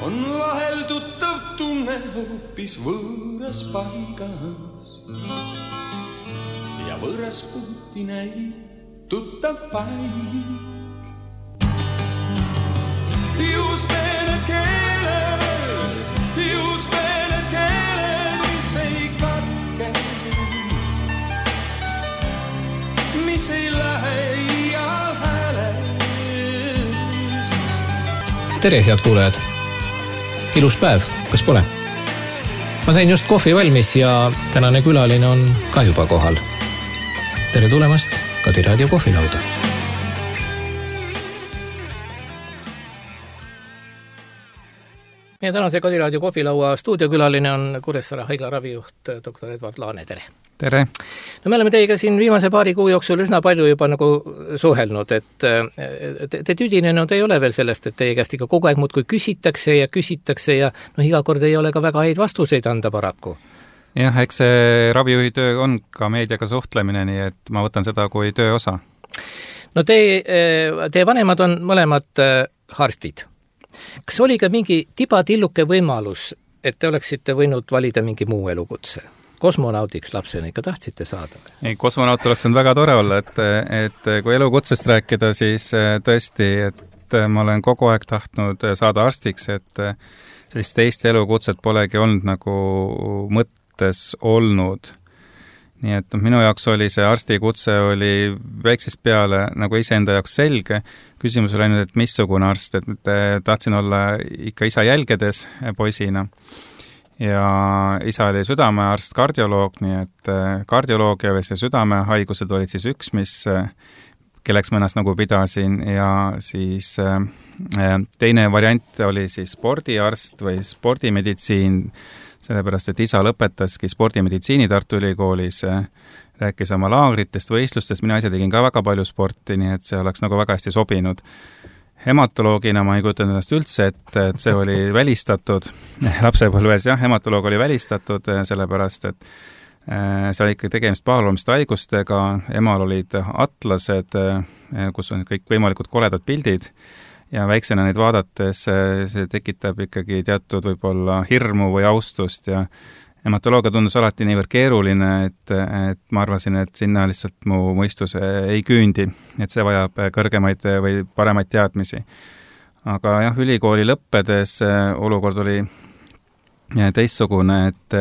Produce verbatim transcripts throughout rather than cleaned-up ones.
on vahel tuttav tunne hoopis võõras paigas ja võõras puuti näib tuttav paik. Just need keeled, just need keeled, mis ei katke, mis ei lähe iial häälest. Tere, head kuulajad! Ilus päev, kas pole? Ma sain just kohvi valmis ja tänane külaline on ka juba kohal. Tere tulemast Kadiraadio kohvilauda. Meie tänase Kadiraadio kohvilaua stuudiokülaline on Kuressaare haigla ravijuht doktor Edvard Laane. Tere! Tere! No me oleme teiega siin viimase paari kuu jooksul üsna palju juba nagu suhelnud, et te, te tüdinenud ei ole veel sellest, et teie käest ikka kogu aeg muudkui küsitakse ja küsitakse ja no iga kord ei ole ka väga häid vastuseid anda paraku. Jah, eks see ravijuhi töö on ka meediaga suhtlemine, nii et ma võtan seda kui töö osa. No teie, teie vanemad on mõlemad arstid. Kas oli ka mingi tibatilluke võimalus, et te oleksite võinud valida mingi muu elukutse? Kosmonaudiks lapsena ikka tahtsite saada? Ei, kosmonaut oleks on väga tore olla, et, et kui elukutsest rääkida, siis tõesti, et ma olen kogu aeg tahtnud saada arstiks, et sellist teist elukutset polegi olnud nagu mõttes olnud. Nii et minu jaoks oli see arstikutse oli väiksest peale nagu iseenda jaoks selge. Küsimus oli ainult, et missugune arst, et tahtsin olla ikka isa jälgedes poisina. Ja isa oli südamearst, kardioloog, nii et kardioloogia või see südamehaigused olid siis üks, mis, kelleks ma ennast nagu pidasin, ja siis teine variant oli siis spordiarst või spordimeditsiin, sellepärast, et isa lõpetaski spordimeditsiini Tartu Ülikoolis, rääkis oma laagritest, võistlustest, mina ise tegin ka väga palju sporti, nii et see oleks nagu väga hästi sobinud. Hematoloogina ma ei kujutanud ennast üldse, et, et see oli välistatud lapsepõlves, jah, hematoloog oli välistatud, sellepärast, et see oli ikka tegemist pahaloomiste haigustega, emal olid atlased, kus on kõik võimalikud koledad pildid ja väiksena neid vaadates see tekitab ikkagi teatud võib-olla hirmu või austust ja hematoloogia tundus alati niivõrd keeruline, et, et ma arvasin, et sinna lihtsalt mu mõistus ei küündi, et see vajab kõrgemaid või paremaid teadmisi. Aga jah, ülikooli lõppedes olukord oli teistsugune, et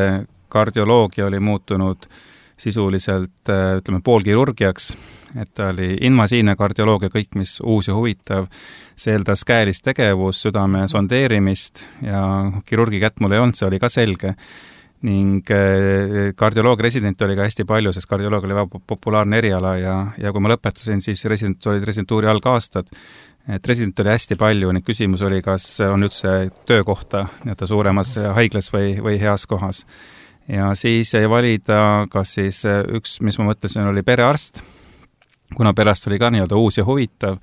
kardioloogia oli muutunud sisuliselt, ütleme, poolkirurgiaks, et ta oli invasiivne kardioloogia, kõik, mis uus ja huvitav, see eeldas käelist tegevus, südame sondeerimist ja kirurgi kätt mul ei olnud, see oli ka selge. Ning kardioloogia resident oli ka hästi palju, sest kardioloogia oli väga populaarne eriala ja, ja kui ma lõpetasin, siis resident, olid residentuuri algaastad. Et resident oli hästi palju, nüüd küsimus oli, kas on üldse töökohta nii-öelda suuremas haiglas või, või heas kohas. Ja siis jäi valida, kas siis üks, mis ma mõtlesin, oli perearst, kuna perearst oli ka nii-öelda uus ja huvitav,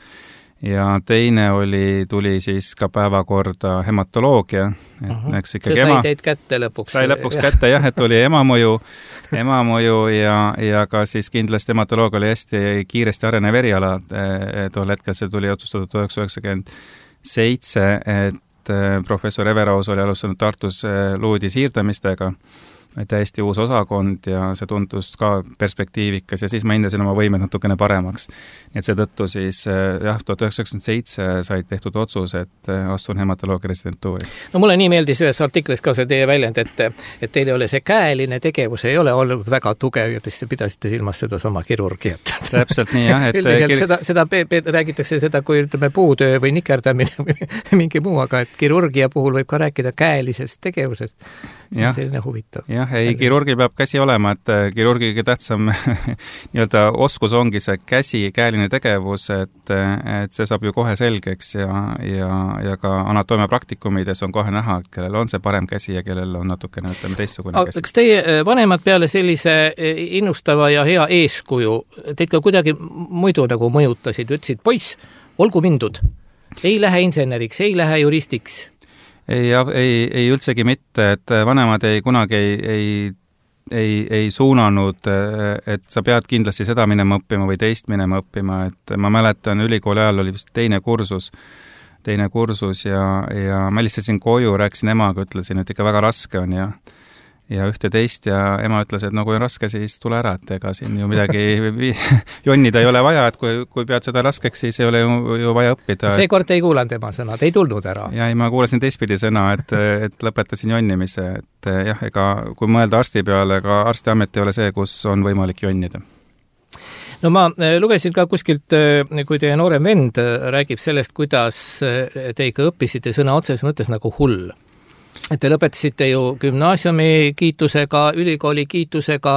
ja teine oli, tuli siis ka päevakorda hematoloogia. Et uh-huh. eks see sai ema, teid kätte lõpuks. Sai lõpuks kätte, jah, et oli emamõju, emamõju ja, ja ka siis kindlasti hematoloogia oli hästi kiiresti arenev eriala. Tol hetkel see tuli otsustatud tuhat üheksasada üheksakümmend seitse, et professor Everaus oli alustanud Tartus luudi siirdamistega, täiesti uus osakond ja see tundus ka perspektiivikas ja siis ma hindasin oma võimed natukene paremaks. Et seetõttu siis jah, tuhat üheksasada üheksakümmend seitse sai tehtud otsus, et astun hematoloogia residentuuri. No mulle nii meeldis ühes artiklis ka see teie väljend, et, et teil ei ole see käeline tegevus, ei ole olnud väga tugev ja te pidasite silmas seda sama kirurgiat. Täpselt nii, jah. Et üldiselt kir... seda, seda pe- pe- räägitakse seda, kui ütleme puutöö või nikerdamine või mingi muu, aga et kirurgia puhul võib ka rääkida käelisest tegevusest. See on selline huvitav. Jah, ei, kirurgi peab käsi olema, et kirurgi kõige tähtsam nii-öelda oskus ongi see käsi, käeline tegevus, et, et see saab ju kohe selgeks ja, ja, ja ka anatoomia praktikumides on kohe näha, kellel on see parem käsi ja kellel on natukene, ütleme, teistsugune käsi. Kas teie vanemad peale sellise innustava ja hea eeskuju teid ka kuidagi muidu nagu mõjutasid, ütlesid, poiss, olgu mindud, ei lähe inseneriks, ei lähe juristiks? Ei, ei, ei üldsegi mitte, et vanemad ei kunagi ei, ei, ei, ei suunanud, et sa pead kindlasti seda minema õppima või teist minema õppima, et ma mäletan, ülikooli ajal oli vist teine kursus, teine kursus ja, ja ma helistasin koju, rääkisin emaga, ütlesin, et ikka väga raske on ja ja ühte teist ja ema ütles, et no kui on raske, siis tule ära, et ega siin ju midagi jonnida ei ole vaja, et kui, kui pead seda raskeks, siis ei ole ju, ju vaja õppida. Seekord ei kuulanud ema sõnad, ei tulnud ära. Ja ei, ma kuulasin teistpidi sõna, et, et lõpetasin jonnimise, et jah, ega kui mõelda arsti peale, ega arstiamet ei ole see, kus on võimalik jonnida. No ma lugesin ka kuskilt, kui teie noorem vend räägib sellest, kuidas te ikka õppisite sõna otses mõttes nagu hull. Et te lõpetasite ju gümnaasiumi kiitusega, ülikooli kiitusega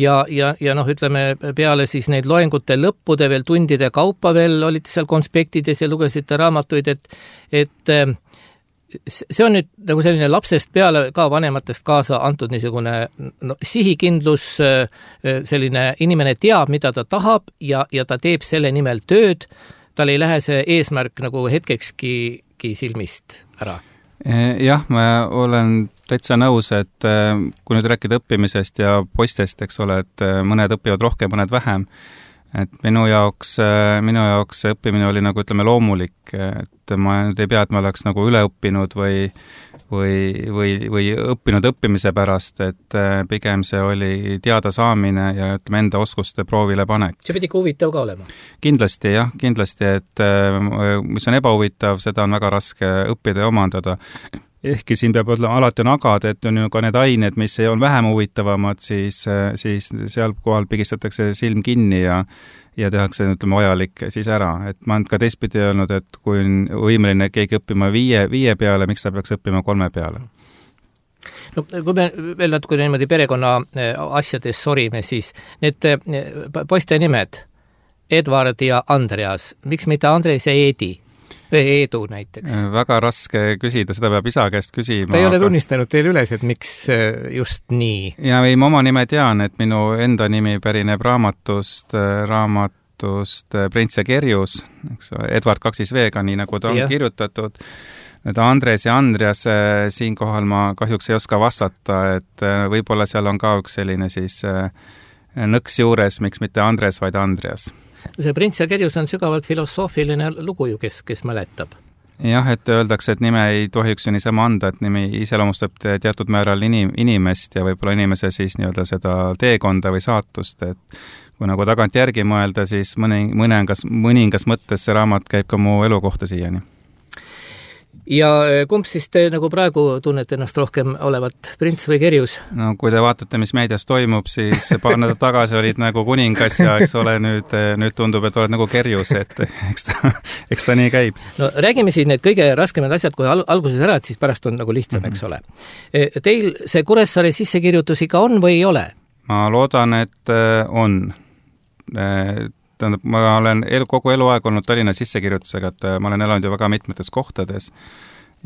ja, ja, ja noh, ütleme peale siis neid loengute lõppude veel tundide kaupa veel olite seal konspektides ja lugesite raamatuid, et, et see on nüüd nagu selline lapsest peale ka vanematest kaasa antud niisugune no, sihikindlus, selline inimene teab, mida ta tahab ja, ja ta teeb selle nimel tööd, tal ei lähe see eesmärk nagu hetkekski silmist ära. Jah, ma olen täitsa nõus, et kui nüüd rääkida õppimisest ja poistest, eks ole, et mõned õpivad rohkem, mõned vähem, et minu jaoks, minu jaoks õppimine oli nagu ütleme loomulik, et ma nüüd ei pea, et ma oleks nagu üle õppinud või, või, või, või õppinud õppimise pärast, et pigem see oli teada saamine ja ütleme enda oskuste proovile panek. See pidi ka huvitav ka olema? Kindlasti jah, kindlasti, et mis on ebahuvitav, seda on väga raske õppida ja omandada. Ehkki siin peab olema alati on agad, et on ju ka need ained, mis ei ole vähem huvitavamad, siis, siis seal kohal pigistatakse silm kinni ja, ja tehakse, ütleme, vajalik siis ära. Et ma olen ka teistpidi öelnud, et kui on võimeline keegi õppima viie, viie peale, miks ta peaks õppima kolme peale? No kui me veel natuke niimoodi perekonna asjades sorime, siis need poiste nimed, Edward ja Andreas, miks mitte Andres ja Eedi? Eedu näiteks. Väga raske küsida, seda peab isa käest küsima. Ta ei ole tunnistanud teile üles, et miks just nii? Ja ei, ma oma nime tean, et minu enda nimi pärineb raamatust, raamatust Prints ja Kerjus, eks, Edward kaksis veega, nii nagu ta on ja. Kirjutatud. Nüüd Andres ja Andreas, siinkohal ma kahjuks ei oska vastata, et võib-olla seal on ka üks selline siis nõks juures, miks mitte Andres, vaid Andreas. See Prints ja Kerjus on sügavalt filosoofiline lugu ju, kes, kes mäletab. Jah, et öeldakse, et nime ei tohiks ju niisama anda, et nimi iseloomustab teatud määral inim, inimest ja võib-olla inimese siis nii-öelda seda teekonda või saatust, et kui nagu tagant järgi mõelda, siis mõni, mõningas, mõningas mõttes see raamat käib ka mu elu kohta siiani. Ja kumb siis te nagu praegu tunnete ennast rohkem olevat, Prints või Kerjus? No kui te vaatate, mis meedias toimub, siis paar nädalat tagasi olid nagu kuningas ja eks ole nüüd, nüüd tundub, et oled nagu Kerjus, et eks ta, eks ta nii käib. No räägime siis need kõige raskemad asjad, kui alguses ära, et siis pärast on nagu lihtsam, eks ole. Teil see Kuressaare sissekirjutus ikka on või ei ole? Ma loodan, et on. Tähendab, ma olen elu, kogu eluaeg olnud Tallinna sissekirjutusega, et ma olen elanud ju väga mitmetes kohtades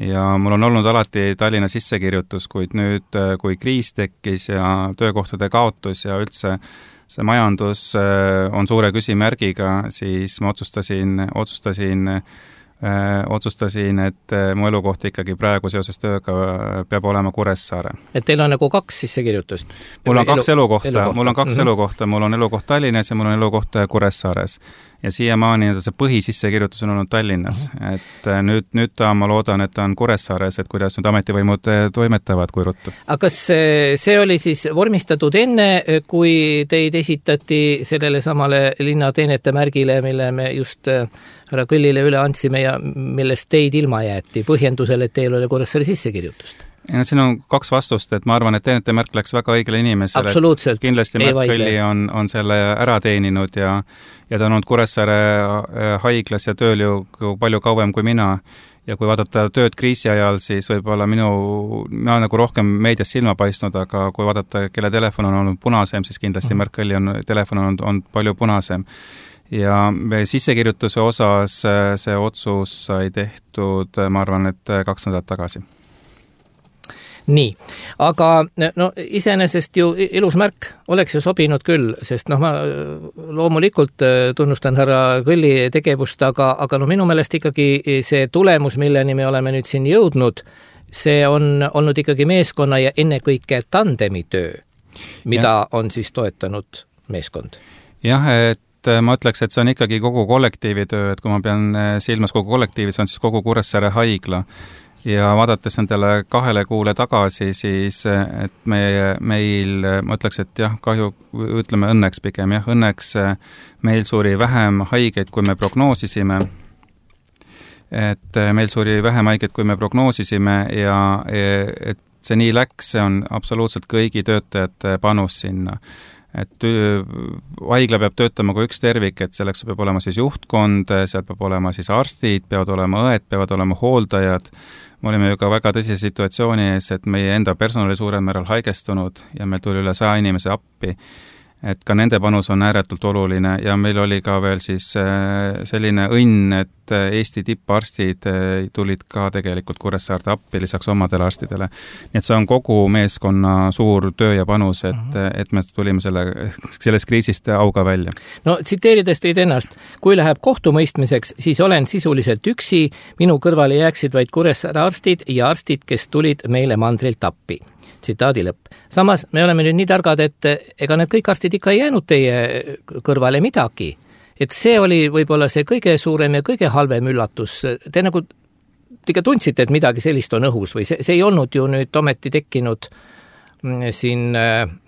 ja mul on olnud alati Tallinna sissekirjutus, kuid nüüd, kui kriis tekkis ja töökohtade kaotus ja üldse see majandus on suure küsimärgiga, siis ma otsustasin, otsustasin Äh, otsustasin, et mu elukoht ikkagi praegu seoses tööga peab olema Kuressaare. Et teil on nagu kaks sissekirjutust? Mul on kaks elu, elukohta, elukohta, mul on kaks mm-hmm. elukohta, mul on elukoht Tallinnas ja mul on elukoht Kuressaares. Ja siiamaani see põhisissekirjutus on olnud Tallinnas. Mm-hmm. Et nüüd, nüüd ta, ma loodan, et ta on Kuressaares, et kuidas nüüd ametivõimud toimetavad kui ruttu. Aga kas see oli siis vormistatud enne, kui teid esitati sellele samale linnateenete märgile, mille me just härra Kõllile üle andsime ja millest teid ilma jäeti põhjendusel, et teil oli Kuressaare sissekirjutust? Ja siin on kaks vastust, et ma arvan, et teenete märk läks väga õigele inimesele. Absoluutselt. Kindlasti Märt Kõlli on, on selle ära teeninud ja, ja ta on olnud Kuressaare haiglas ja tööl ju palju kauem kui mina. Ja kui vaadata tööd kriisi ajal, siis võib-olla minu, mina nagu rohkem meedias silma paistnud, aga kui vaadata, kelle telefon on olnud punasem, siis kindlasti Märt Kõlli on, telefon on, on palju punasem. Ja sissekirjutuse osas see otsus sai tehtud, ma arvan, et kaks nädalat tagasi. Nii, aga no, iseenesest ju ilus märk oleks ju sobinud küll, sest noh, ma loomulikult tunnustan härra Kõlli tegevust, aga, aga no minu meelest ikkagi see tulemus, milleni me oleme nüüd siin jõudnud, see on olnud ikkagi meeskonna ja ennekõike tandemi töö, mida ja. On siis toetanud meeskond. Jah, et et ma ütleks, et see on ikkagi kogu kollektiivi töö, et kui ma pean silmas kogu kollektiivi, see on siis kogu Kuressaare haigla. Ja vaadates nendele kahele kuule tagasi, siis et meie, meil, ma ütleks, et jah, kahju, ütleme õnneks pigem, jah, õnneks meil suri vähem haigeid, kui me prognoosisime. Et meil suri vähem haigeid, kui me prognoosisime ja et see nii läks, see on absoluutselt kõigi töötajate panus sinna. Et haigla peab töötama kui üks tervik, et selleks peab olema siis juhtkond, seal peab olema siis arstid, peavad olema õed, peavad olema hooldajad. Me olime ju ka väga tõsise situatsiooni ees, et meie enda personali suurel määral haigestunud ja meil tuli üle saja inimese appi. Et ka nende panus on ääretult oluline ja meil oli ka veel siis selline õnn, et Eesti tipparstid tulid ka tegelikult Kuressaarde appi lisaks omadele arstidele. Nii et see on kogu meeskonna suur töö ja panus, et, et me tulime selle, sellest kriisist auga välja. No tsiteerides teid ennast, kui läheb kohtumõistmiseks, siis olen sisuliselt üksi, minu kõrvale jääksid vaid Kuressaare arstid ja arstid, kes tulid meile mandrilt appi. Tsitaadi lõpp. Samas me oleme nüüd nii targad, et ega need kõik arstid ikka ei jäänud teie kõrvale midagi. Et see oli võib-olla see kõige suurem ja kõige halvem üllatus. Te nagu te tundsite, et midagi sellist on õhus või see, see ei olnud ju nüüd ometi tekkinud siin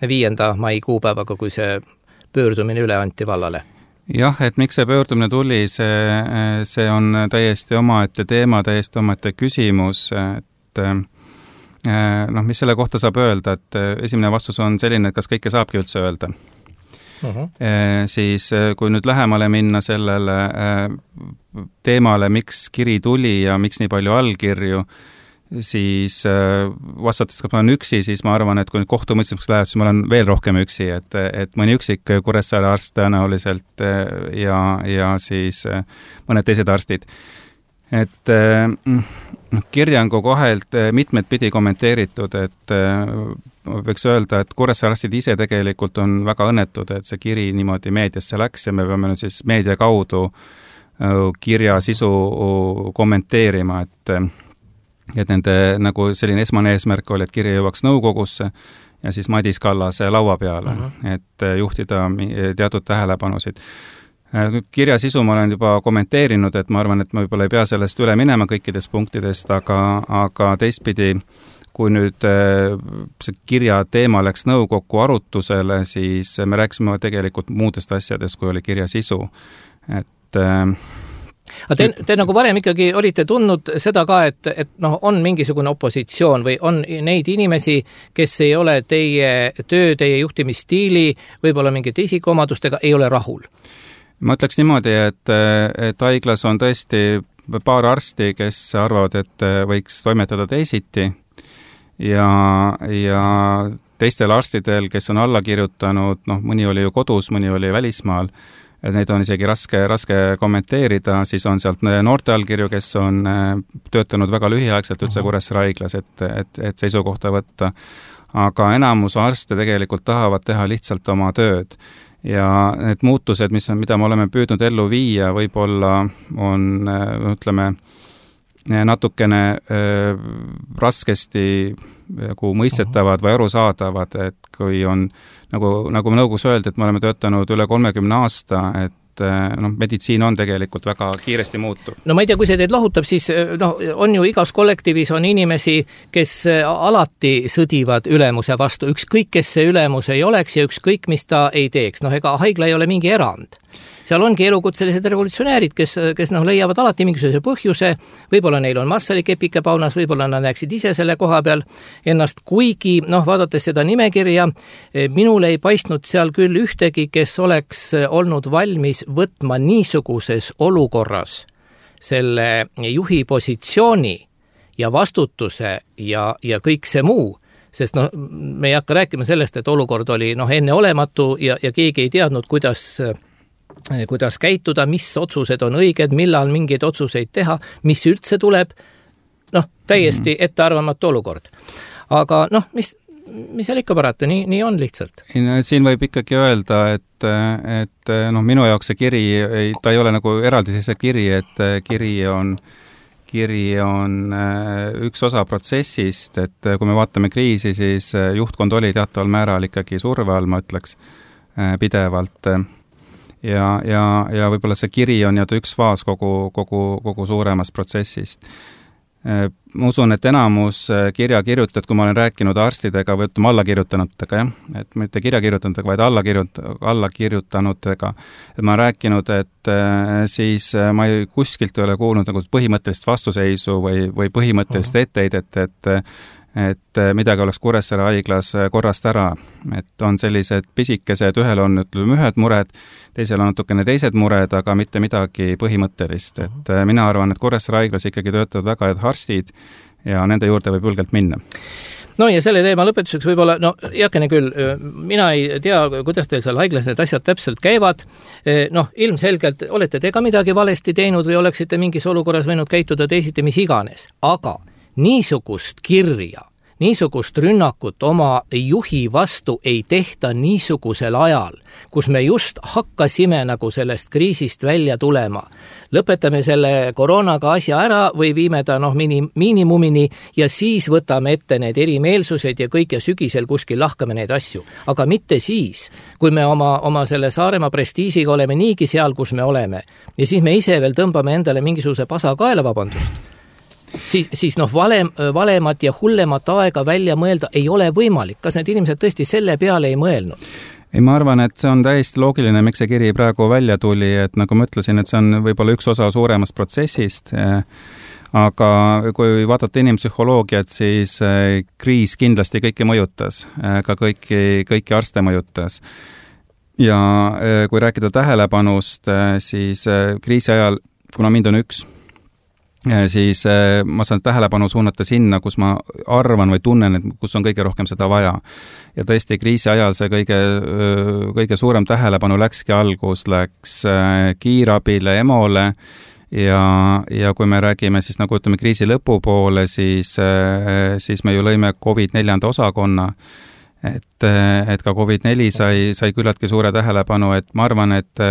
viienda mai kuupäevaga, kui see pöördumine üle anti vallale. Jah, et miks see pöördumine tuli, see, see on täiesti omaette teema, täiesti omaette küsimus, et noh, mis selle kohta saab öelda, et esimene vastus on selline, et kas kõike saabki üldse öelda. Uh-huh. E, siis kui nüüd lähemale minna sellele teemale, miks kiri tuli ja miks nii palju allkirju, siis vastates, kas ma olen üksi, siis ma arvan, et kui nüüd kohtumõistmiseks läheb, siis ma olen veel rohkem üksi, et, et mõni üksik Kuressaare arst tõenäoliselt ja, ja siis mõned teised arstid. Et kirjangu kohelt mitmed pidi kommenteeritud, et võiks öelda, et Kuressaare arstid ise tegelikult on väga õnnetud, et see kiri niimoodi meediasse läks ja me peame nüüd siis meedia kaudu kirja sisu kommenteerima, et, et nende nagu selline esmane eesmärk oli, et kiri jõuaks nõukogusse ja siis Madis Kallase laua peale, uh-huh. et juhtida teatud tähelepanusid. Nüüd kirja sisu ma olen juba kommenteerinud, et ma arvan, et ma võib-olla ei pea sellest üle minema kõikidest punktidest, aga, aga teistpidi, kui nüüd see kirja teema läks nõukokku arutusele, siis me rääkisime tegelikult muudest asjadest, kui oli kirja sisu. Et Aga te, te nagu varem ikkagi olite tundnud seda ka, et, et noh, on mingisugune opositsioon või on neid inimesi, kes ei ole teie töö, teie juhtimisstiili, võib-olla mingite isikuomadustega, ei ole rahul? Ma ütleks niimoodi, et, et haiglas on tõesti paar arsti, kes arvavad, et võiks toimetada teisiti ja, ja teistel arstidel, kes on alla kirjutanud, noh, mõni oli ju kodus, mõni oli välismaal, et neid on isegi raske, raske kommenteerida, siis on sealt noorte allkirju, kes on töötanud väga lühiaegselt üldse Kuressaare haiglas, et, et, et seisukohta võtta. Aga enamus arste tegelikult tahavad teha lihtsalt oma tööd. Ja need muutused, mis on, mida me oleme püüdnud ellu viia, võib-olla on, ütleme, natukene äh, raskesti nagu mõistetavad või arusaadavad, et kui on, nagu, nagu nõukogus öeldi, et me oleme töötanud üle kolmekümne aasta, et noh, meditsiin on tegelikult väga kiiresti muutuv. No ma ei tea, kui see teid lahutab, siis noh, on ju igas kollektiivis on inimesi, kes alati sõdivad ülemuse vastu, ükskõik kes see ülemus ei oleks ja ükskõik mis ta ei teeks. Noh, ega haigla ei ole mingi erand. Seal ongi elukutselised revolutsionäärid, kes, kes noh, leiavad alati mingisuguse põhjuse, võib-olla neil on Marssali kepike paunas, võib-olla nad näeksid ise selle koha peal ennast, kuigi noh, vaadates seda nimekirja, minul ei paistnud seal küll ühtegi, kes oleks olnud valmis võtma niisuguses olukorras selle juhi positsiooni ja vastutuse ja, ja kõik see muu, sest noh, me ei hakka rääkima sellest, et olukord oli noh, enneolematu ja, ja keegi ei teadnud, kuidas kuidas käituda, mis otsused on õiged, millal mingeid otsuseid teha, mis üldse tuleb, noh, täiesti ettearvamatu olukord. Aga noh, mis, mis seal ikka parata, nii, nii on lihtsalt. Siin võib ikkagi öelda, et, et noh, minu jaoks see kiri, ta ei ole nagu eraldisese kiri, et kiri on, kiri on üks osa protsessist, et kui me vaatame kriisi, siis juhtkond oli teataval määral ikkagi surve all, ma ütleks, pidevalt. ja, ja, ja võib-olla see kiri on nii-öelda üks faas kogu, kogu, kogu suuremast protsessist. Ma usun, et enamus kirja kirjutajad, kui ma olen rääkinud arstidega või ütleme alla kirjutanutega, jah, et mitte kirja kirjutanutega, vaid alla, kirjut, alla kirjutanutega, et ma olen rääkinud, et siis ma ei, kuskilt ei ole kuulnud nagu põhimõttelist vastuseisu või, või põhimõttelist etteheidet, et, et et midagi oleks Kuressaare haiglas korrast ära, et on sellised pisikesed, ühel on ütleme ühed mured, teisel on natukene teised mured, aga mitte midagi põhimõttelist, et mina arvan, et Kuressaare haiglas ikkagi töötavad väga head arstid ja nende juurde võib julgelt minna. No ja selle teema lõpetuseks võib-olla, no jakene küll, mina ei tea, kuidas teil seal haiglas need asjad täpselt käivad, noh, ilmselgelt olete te ka midagi valesti teinud või oleksite mingis olukorras võinud käituda teisiti, mis iganes, aga niisugust kirja, niisugust rünnakut oma juhi vastu ei tehta niisugusel ajal, kus me just hakkasime nagu sellest kriisist välja tulema. Lõpetame selle koroonaga asja ära või viime ta noh, minim, miinimumini ja siis võtame ette need erimeelsused ja kõik ja sügisel kuskil lahkame neid asju. Aga mitte siis, kui me oma, oma selle Saaremaa prestiisiga oleme niigi seal, kus me oleme ja siis me ise veel tõmbame endale mingisuguse pasa kaela, vabandust. Siis, siis noh, valem, valemat ja hullemat aega välja mõelda ei ole võimalik. Kas need inimesed tõesti selle peale ei mõelnud? Ei, ma arvan, et see on täiesti loogiline, miks see kiri praegu välja tuli, et nagu ma ütlesin, et see on võib-olla üks osa suuremast protsessist, aga kui vaadata inimpsühholoogiat, siis kriis kindlasti kõiki mõjutas, ka kõiki, kõiki arste mõjutas. Ja kui rääkida tähelepanust, siis kriisi ajal, kuna mind on üks, siis ma saan tähelepanu suunata sinna, kus ma arvan või tunnen, et kus on kõige rohkem seda vaja. Ja tõesti, kriisi ajal see kõige, kõige suurem tähelepanu läkski algus, läks kiirabile, emole ja, ja kui me räägime siis nagu ütleme kriisi lõpupoole, siis, siis me ju lõime COVID neljanda osakonna, et, et ka COVID neli sai, sai küllaltki suure tähelepanu, et ma arvan, et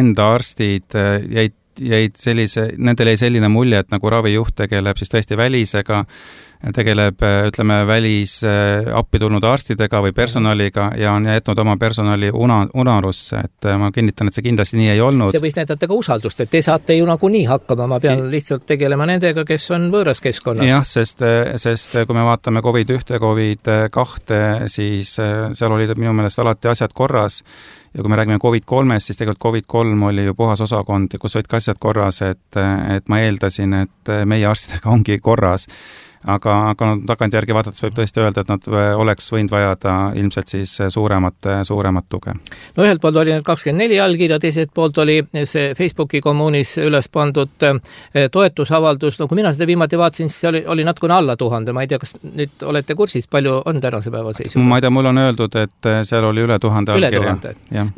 enda arstid jäid jäid sellise, nendel jäi selline mulje, et nagu ravijuht tegeleb siis tõesti välisega, tegeleb, ütleme, välis appi tulnud arstidega või personaliga ja on jätnud oma personali una, unarusse, et ma kinnitan, et see kindlasti nii ei olnud. See võis näidata ka usaldust, et te saate ju nagu nii hakkama, ma pean lihtsalt tegelema nendega, kes on võõras keskkonnas. Jah, sest, sest kui me vaatame COVID üks, COVID kaks, siis seal olid minu meelest alati asjad korras. Ja kui me räägime COVID kolmest, siis tegelikult COVID kolm oli ju puhas osakond, kus olid ka asjad korras, et, et ma eeldasin, et meie arstidega ongi korras. Aga, aga tagantjärgi vaadates võib tõesti öelda, et nad oleks võinud vajada ilmselt siis suuremat, suuremat tuge. No ühelt poolt oli need kakskümmend neli allkirja, teiselt poolt oli see Facebooki kommuunis üles pandud toetusavaldus, no kui mina seda viimati vaatasin, siis oli, oli natukene alla tuhande, ma ei tea, kas nüüd olete kursis, palju on tänase päeva seisuga? Ma ei tea, mul on öeldud, et seal oli üle tuhande allkirja.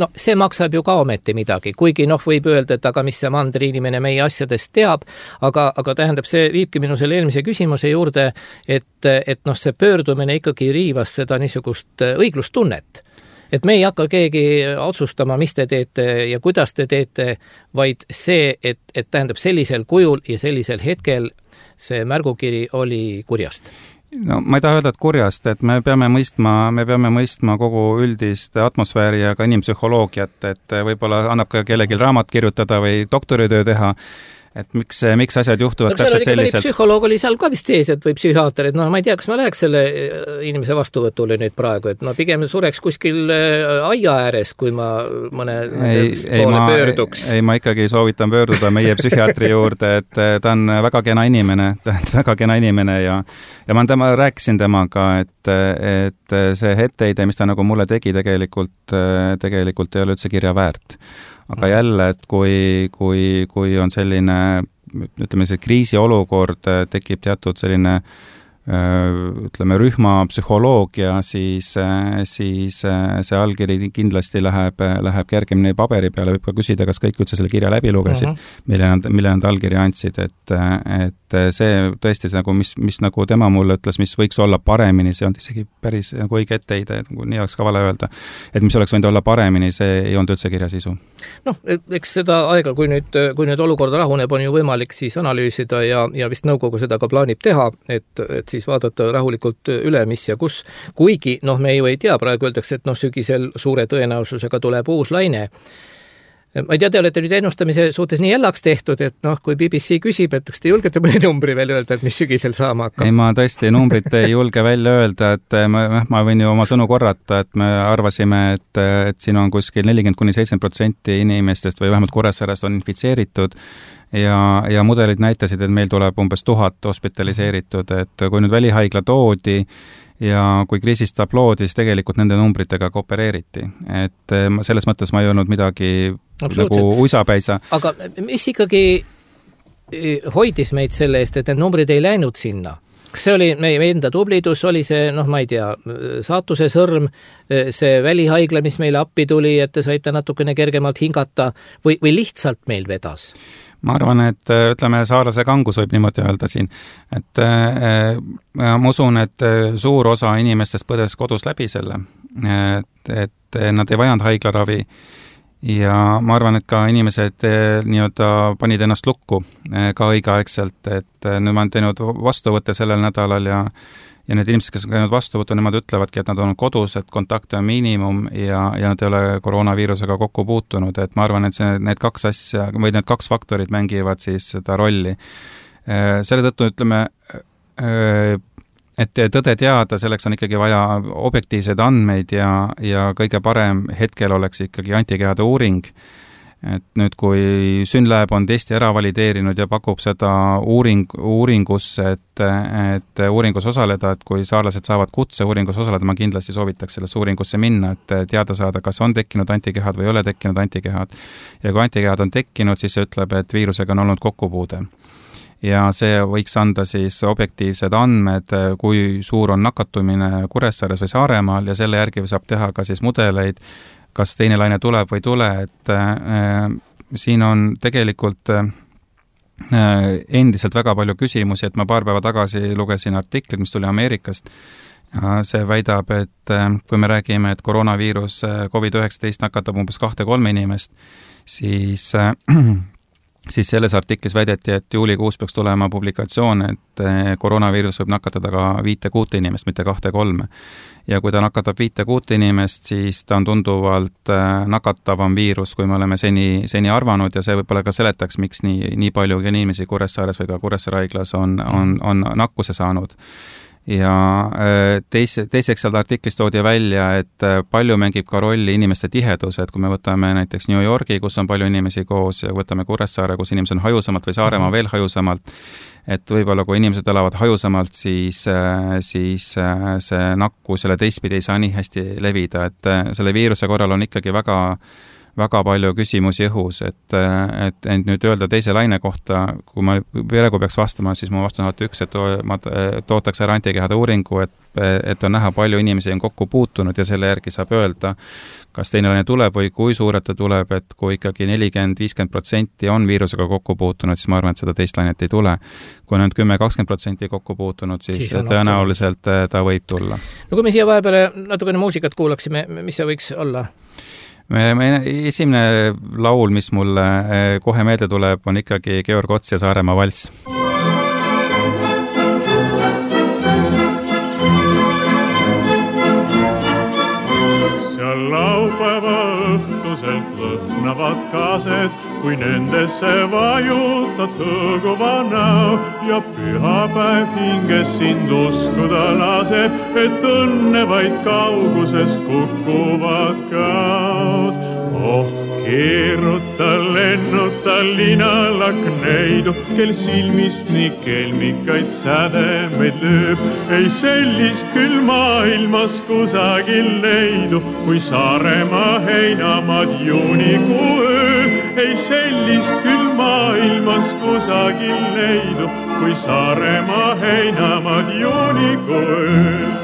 No see maksab ju ka ometi midagi, kuigi noh, võib öelda, et aga mis see mandri inimene meie asjadest teab, aga, aga tähendab, see viibki minu selle eelmise küsimuse juurde, et, et noh, see pöördumine ikkagi riivas seda niisugust õiglustunnet. Et me ei hakka keegi otsustama, mis te teete ja kuidas te teete, vaid see, et, et tähendab sellisel kujul ja sellisel hetkel see märgukiri oli kurjast. No ma ei taha öelda, et kurjast, et me peame mõistma, me peame mõistma kogu üldist atmosfääri ja ka inimpsühholoogiat, et võib-olla annab ka kellelgi raamat kirjutada või doktoritöö teha, et miks, miks asjad juhtuvad no, täpselt selliselt. Psühholoog oli seal ka vist sees, et või psühhiaater, et noh, ma ei tea, kas ma läheks selle inimese vastuvõtule nüüd praegu, et ma pigem sureks kuskil aia ääres, kui ma mõne ei, poole ei, pöörduks. Ei, ma ikkagi soovitan pöörduda meie psühhiaatri juurde, et ta on väga kena inimene, väga kena inimene ja, ja ma tema, rääkisin temaga, et, et see etteheide, mis ta nagu mulle tegi, tegelikult, tegelikult ei ole üldse kirja väärt. Aga jälle, et kui, kui, kui on selline, ütleme, see kriisiolukord, tekib teatud selline ütleme, rühmapsühholoogia, siis, siis see allkiri kindlasti läheb, läheb kergemini paberi peale, võib ka küsida, kas kõik üldse selle kirja läbi lugesid, uh-huh. mille nad, mille nad allkirja andsid, et, et see tõesti see, nagu, mis, mis nagu tema mulle ütles, mis võiks olla paremini, see on isegi päris nagu õige etteheide, nagu nii oleks ka vale öelda, et mis oleks võinud olla paremini, see ei olnud üldse kirja sisu. Noh, eks seda aega, kui nüüd, kui nüüd olukorda rahuneb, on ju võimalik siis analüüsida ja, ja vist nõukogu seda ka plaanib teha, et, et siis vaadata rahulikult üle, mis ja kus. Kuigi, noh, me ju ei tea, praegu öeldakse, et noh, sügisel suure tõenäosusega tuleb uus laine. ma ei tea, te olete nüüd ennustamise suhtes nii jällaks tehtud, et noh, kui B B C küsib, et kas te julgete mõne numbri veel öelda, et mis sügisel saama hakkab? ei, ma tõesti numbrit ei julge välja öelda, et ma, ma võin ju oma sõnu korrata, et me arvasime, et, et siin on kuskil nelikümmend kuni seitsekümmend protsenti inimestest või vähemalt Kuressaarest on infitseeritud ja, ja mudelid näitasid, et meil tuleb umbes tuhat hospitaliseeritud, et kui nüüd välihaigla toodi ja kui kriisist tabloodi, siis tegelikult nende numbritega koopereeriti. Et selles mõttes ma ei olnud midagi nagu uisapäisa. Aga mis ikkagi hoidis meid selle eest, et need numbrid ei läinud sinna? Kas see oli meie enda tublidus, oli see, noh, ma ei tea, saatuse sõrm, see välihaigla, mis meile appi tuli, et te saite natukene kergemalt hingata või, või lihtsalt meil vedas? Ma arvan, et ütleme, saarlase kangus võib niimoodi öelda siin, et äh, ma usun, et suur osa inimestest põdes kodus läbi selle, et, et nad ei vajanud haiglaravi ja ma arvan, et ka inimesed nii-öelda panid ennast lukku ka õigeaegselt, et nüüd ma olen teinud vastuvõtte sellel nädalal ja ja need inimesed, kes on käinud vastuvõttu, nemad ütlevadki, et nad on kodus, et kontakte on miinimum ja, ja nad ei ole koroonaviirusega kokku puutunud, et ma arvan, et see, need kaks asja või need kaks faktorit mängivad siis seda rolli. Selle tõttu ütleme, et tõde teada, selleks on ikkagi vaja objektiivseid andmeid ja, ja kõige parem hetkel oleks ikkagi antikehade uuring. Et nüüd, kui Synlab on testi ära valideerinud ja pakub seda uuring, uuringusse, et, et uuringus osaleda, et kui saarlased saavad kutse uuringus osaleda, ma kindlasti soovitaks selles uuringusse minna, et teada saada, kas on tekkinud antikehad või ei ole tekkinud antikehad. Ja kui antikehad on tekkinud, siis see ütleb, et viirusega on olnud kokkupuude. Ja see võiks anda siis objektiivsed andmed, kui suur on nakatumine Kuressaares või Saaremaal ja selle järgi saab teha ka siis mudeleid, kas teine laine tuleb või tule, et äh, siin on tegelikult äh, endiselt väga palju küsimusi, et ma paar päeva tagasi lugesin artiklit, mis tuli Ameerikast. Ja see väidab, et äh, kui me räägime, et koroonaviirus COVID üheksateist nakatab umbes kahte kolme inimest, siis äh, siis selles artiklis väideti, et juulikuus peaks tulema publikatsioon, et koroonaviirus võib nakatada ka viite kuute inimest, mitte kahte kolme. Ja kui ta nakatab viite kuute inimest, siis ta on tunduvalt nakatavam viirus, kui me oleme seni, seni arvanud ja see võib-olla ka seletaks, miks nii, nii palju inimesi Kuressaares või ka Kuressaare haiglas on, on, on nakkuse saanud. Ja teise, teiseks seal artiklis toodi välja, et palju mängib ka rolli inimeste tihedus, et kui me võtame näiteks New Yorgi, kus on palju inimesi koos ja võtame Kuressaare, kus inimesed on hajusamalt või Saaremaa veel hajusamalt, et võib-olla kui inimesed elavad hajusamalt, siis, siis see nakkus selle teistpidi ei saa nii hästi levida, et selle viiruse korral on ikkagi väga väga palju küsimusi õhus, et, et, et nüüd öelda teise laine kohta, kui ma praegu peaks vastama, siis ma vastan alati üks, et ma tootaks ära antikehade uuringu, et, et on näha palju inimesi on kokku puutunud ja selle järgi saab öelda, kas teine laine tuleb või kui suurelt ta tuleb, et kui ikkagi nelikümmend viis protsenti on viirusega kokku puutunud, siis ma arvan, et seda teist lainet ei tule. Kui on kümme kakskümmend protsenti kokku puutunud, siis, siis tõenäoliselt ta võib tulla. No kui me siia vahepeale natukene muusikat kuulaksime, mis see võiks olla? Me, me esimene laul, mis mulle kohe meelde tuleb, on ikkagi Georg Ots ja Saaremaa valss. Seal laupäeva õhtuselt lõhnavad kaased, kui nendesse vajutad hõõguva näo ja pühapäev hinges sind uskuda laseb, et õnne vaid kauguses kukuvad kaod. Oh, keeruta, lennuta linalak neidu, kel silmist nii kelmikaid sädemeid lööb. Ei sellist küll maailmas kusagil leidu, kui Saaremaa heinamaad juunikuu ööl. Ei sellist küll maailmas kusagil leidu, kui Saaremaa heinamaad juunikuu ööl.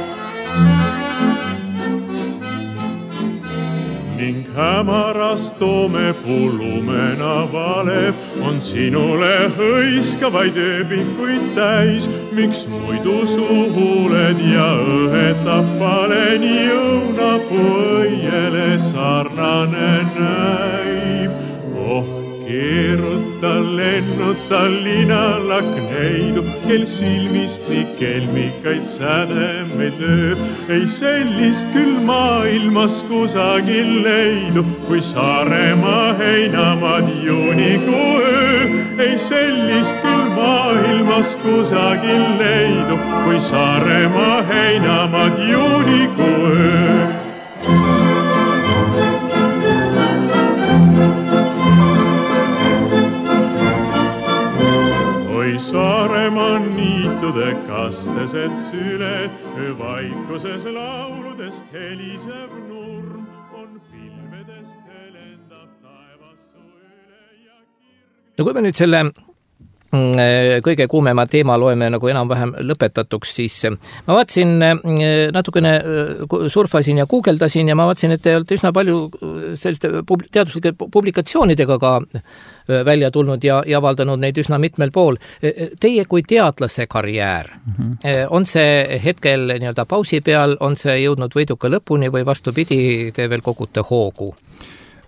Ning hämaras toomepuu lumena valev on sinule hõiskavaid ööbikuid täis. Miks muidu suhuled ja õhetab paleni õunapuu õiele sarnane näib? Oh, keeruta, lennuta linalakneidu, kel silmist nii kelmikaid sädemeid lööb. Ei sellist küll maailmas kusagil leidu, kui Saaremaa heinamaad juunikuu öö. Ei sellist küll maailmas kusagil leidu, kui Saaremaa heinamaad juunikuu öö. Saaremaa niitude kastesed süled, vaikuses lauludest helisev nurm, on pilvedest helendav taevassu üle ja kirg... No kui me nüüd selle kõige kuumema teema loeme nagu enam-vähem lõpetatuks, siis ma vaatasin natukene, surfasin ja guugeldasin ja ma vaatasin, et te olete üsna palju selliste teaduslike publikatsioonidega ka välja tulnud ja, ja avaldanud neid üsna mitmel pool. Teie kui teadlase karjäär, mm-hmm. on see hetkel nii-öelda pausi peal, on see jõudnud võiduka lõpuni või vastupidi, te veel kogute hoogu?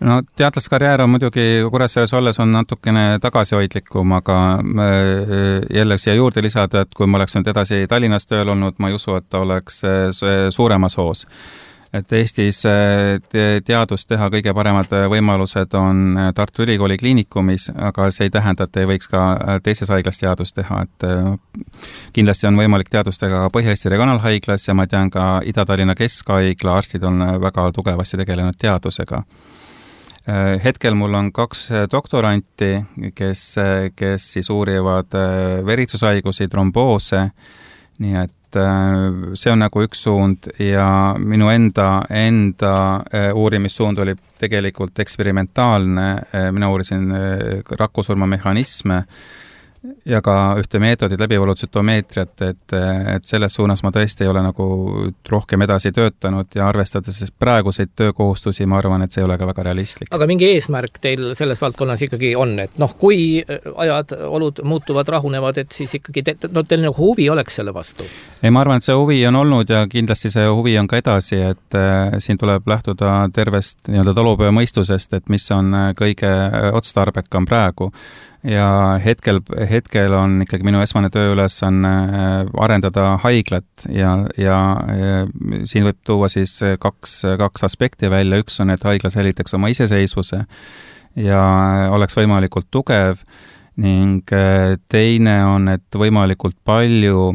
No teadlaskarjäär on muidugi Kuressaares olles on natukene tagasihoidlikum, aga jälle siia juurde lisada, et kui ma oleks nüüd edasi Tallinnas tööl olnud, ma ei usu, et ta oleks suuremas hoos. Et Eestis teadust teha kõige paremad võimalused on Tartu Ülikooli kliinikumis, aga see ei tähenda, et ei võiks ka teises haiglas teadust teha. Et kindlasti on võimalik teadust teha ka Põhja-Eesti regionaalhaiglas ja ma tean ka Ida-Tallinna Keskhaigla arstid on väga tugevasti tegelenud teadusega. Hetkel mul on kaks doktoranti, kes, kes siis uurivad veritsushaigusi, tromboose, nii et see on nagu üks suund ja minu enda, enda uurimissuund oli tegelikult eksperimentaalne, mina uurisin rakkusurma mehhanisme ja ka ühte meetodit läbivolutsütomeetriat, et, et selles suunas ma tõesti ei ole nagu rohkem edasi töötanud ja arvestades praeguseid töökohustusi, ma arvan, et see ei ole ka väga realistlik. Aga mingi eesmärk teil selles valdkonnas ikkagi on, et noh, kui ajad, olud muutuvad, rahunevad, et siis ikkagi te, no, teil nagu huvi oleks selle vastu? Ei, ma arvan, et see huvi on olnud ja kindlasti see huvi on ka edasi, et äh, siin tuleb lähtuda tervest nii-öelda talupöömõistusest, et mis on kõige otstarbekam praegu. Ja hetkel, hetkel on ikkagi minu esmane tööülesanne arendada haiglat ja, ja, ja siin võib tuua siis kaks, kaks aspekti välja. Üks on, et haigla säilitaks oma iseseisvuse ja oleks võimalikult tugev ning teine on, et võimalikult palju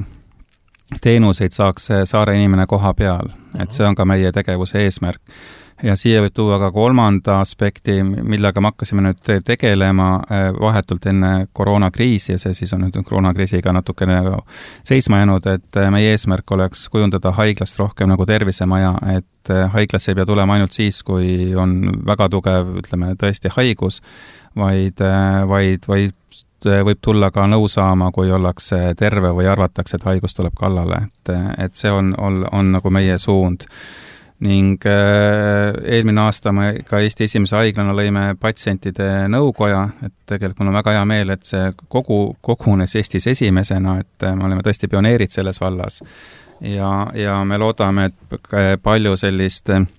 teenuseid saaks saare inimene koha peal. Et see on ka meie tegevuse eesmärk. Ja siia võib tuua ka kolmanda aspekti, millega me hakkasime nüüd tegelema vahetult enne koroonakriisi ja see siis on nüüd koroonakriisiga natukene seisma jäänud, et meie eesmärk oleks kujundada haiglast rohkem nagu tervisemaja, et haiglasse ei pea tulema ainult siis, kui on väga tugev, ütleme, tõesti haigus, vaid, vaid, vaid võib tulla ka nõu saama, kui ollakse terve või arvatakse, et haigus tuleb kallale, et, et see on, on, on nagu meie suund. Ning äh, eelmine aasta me ka Eesti esimese haiglana lõime patsientide nõukoja, et tegelikult mul on väga hea meel, et see kogu, kogunes Eestis esimesena, et me oleme tõesti pioneerid selles vallas ja, ja me loodame, et palju sellist äh,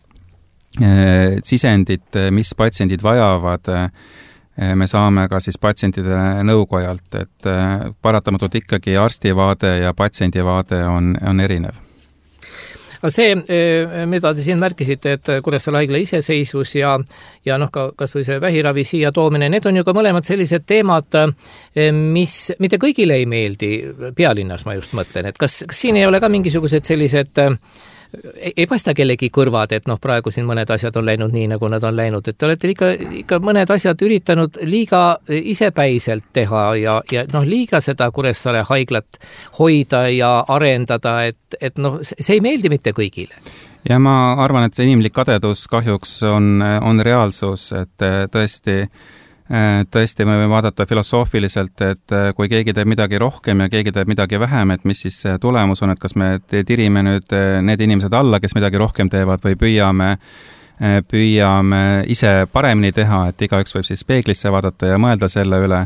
sisendit, mis patsiendid vajavad, äh, me saame ka siis patsientide nõukojalt, et äh, paratamatult ikkagi arstivaade ja patsiendivaade on, on erinev. Aga see, mida te siin märkisite, et Kuressaare haigla iseseisvus ja, ja noh, ka, kas või see vähiravi siia toomine, need on ju ka mõlemad sellised teemad, mis mitte kõigile ei meeldi pealinnas, ma just mõtlen, et kas, kas siin ei ole ka mingisugused sellised ei, ei paista kellegi kõrvad, et noh, praegu siin mõned asjad on läinud nii, nagu nad on läinud, et te olete ikka, ikka mõned asjad üritanud liiga isepäiselt teha ja, ja noh, liiga seda Kuressaare haiglat hoida ja arendada, et, et noh, see ei meeldi mitte kõigile. Ja ma arvan, et inimlik kadedus kahjuks on, on reaalsus, et tõesti Tõesti, me võime vaadata filosoofiliselt, et kui keegi teeb midagi rohkem ja keegi teeb midagi vähem, et mis siis tulemus on, et kas me tirime nüüd need inimesed alla, kes midagi rohkem teevad või püüame, püüame ise paremini teha, et igaüks võib siis peeglisse vaadata ja mõelda selle üle.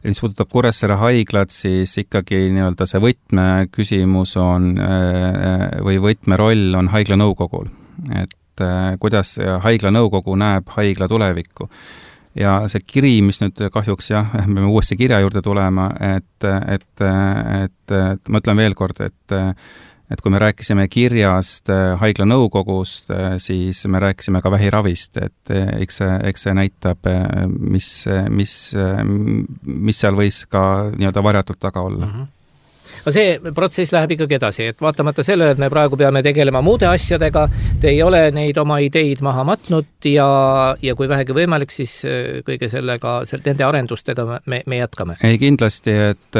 Mis puudutab Kuressaare haiglat, siis ikkagi nii-öelda see võtmeküsimus on või võtmeroll on haigla nõukogul, et kuidas haigla nõukogu näeb haigla tulevikku. ja see kiri, mis nüüd kahjuks jah, me peame uuesti kirja juurde tulema, et, et, et, et ma ütlen veel kord, et et kui me rääkisime kirjast haigla nõukogust, siis me rääkisime ka vähiravist, et eks see, eks see näitab, mis, mis, mis seal võis ka nii-öelda varjatult taga olla. Mm-hmm. Aga see protsess läheb ikkagi edasi, et vaatamata sellele, et me praegu peame tegelema muude asjadega, te ei ole neid oma ideid maha matnud ja, ja kui vähegi võimalik, siis kõige sellega, nende arendustega me, me jätkame. Ei kindlasti, et,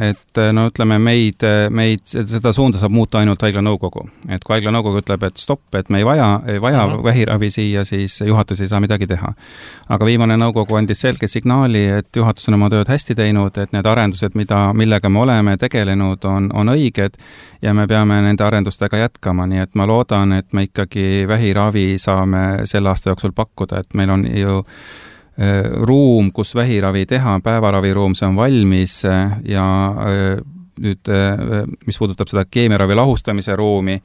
et no ütleme, meid, meid, seda suunda saab muuta ainult haigla nõukogu. Et kui haigla nõukogu ütleb, et stopp, et me ei vaja, ei vaja uh-huh. vähiravi siia, siis juhatus ei saa midagi teha. Aga viimane nõukogu andis selge signaali, et juhatus on oma tööd hästi teinud, et need arendused, mida, millega me oleme tegelenud, on, on õiged ja me peame nende arendustega jätkama, nii et ma loodan, et me ikkagi vähiravi saame selle aasta jooksul pakkuda, et meil on ju äh, ruum, kus vähiravi teha, päevaraviruum, see on valmis äh, ja äh, nüüd, äh, mis puudutab seda keemiaravi lahustamise ruumi,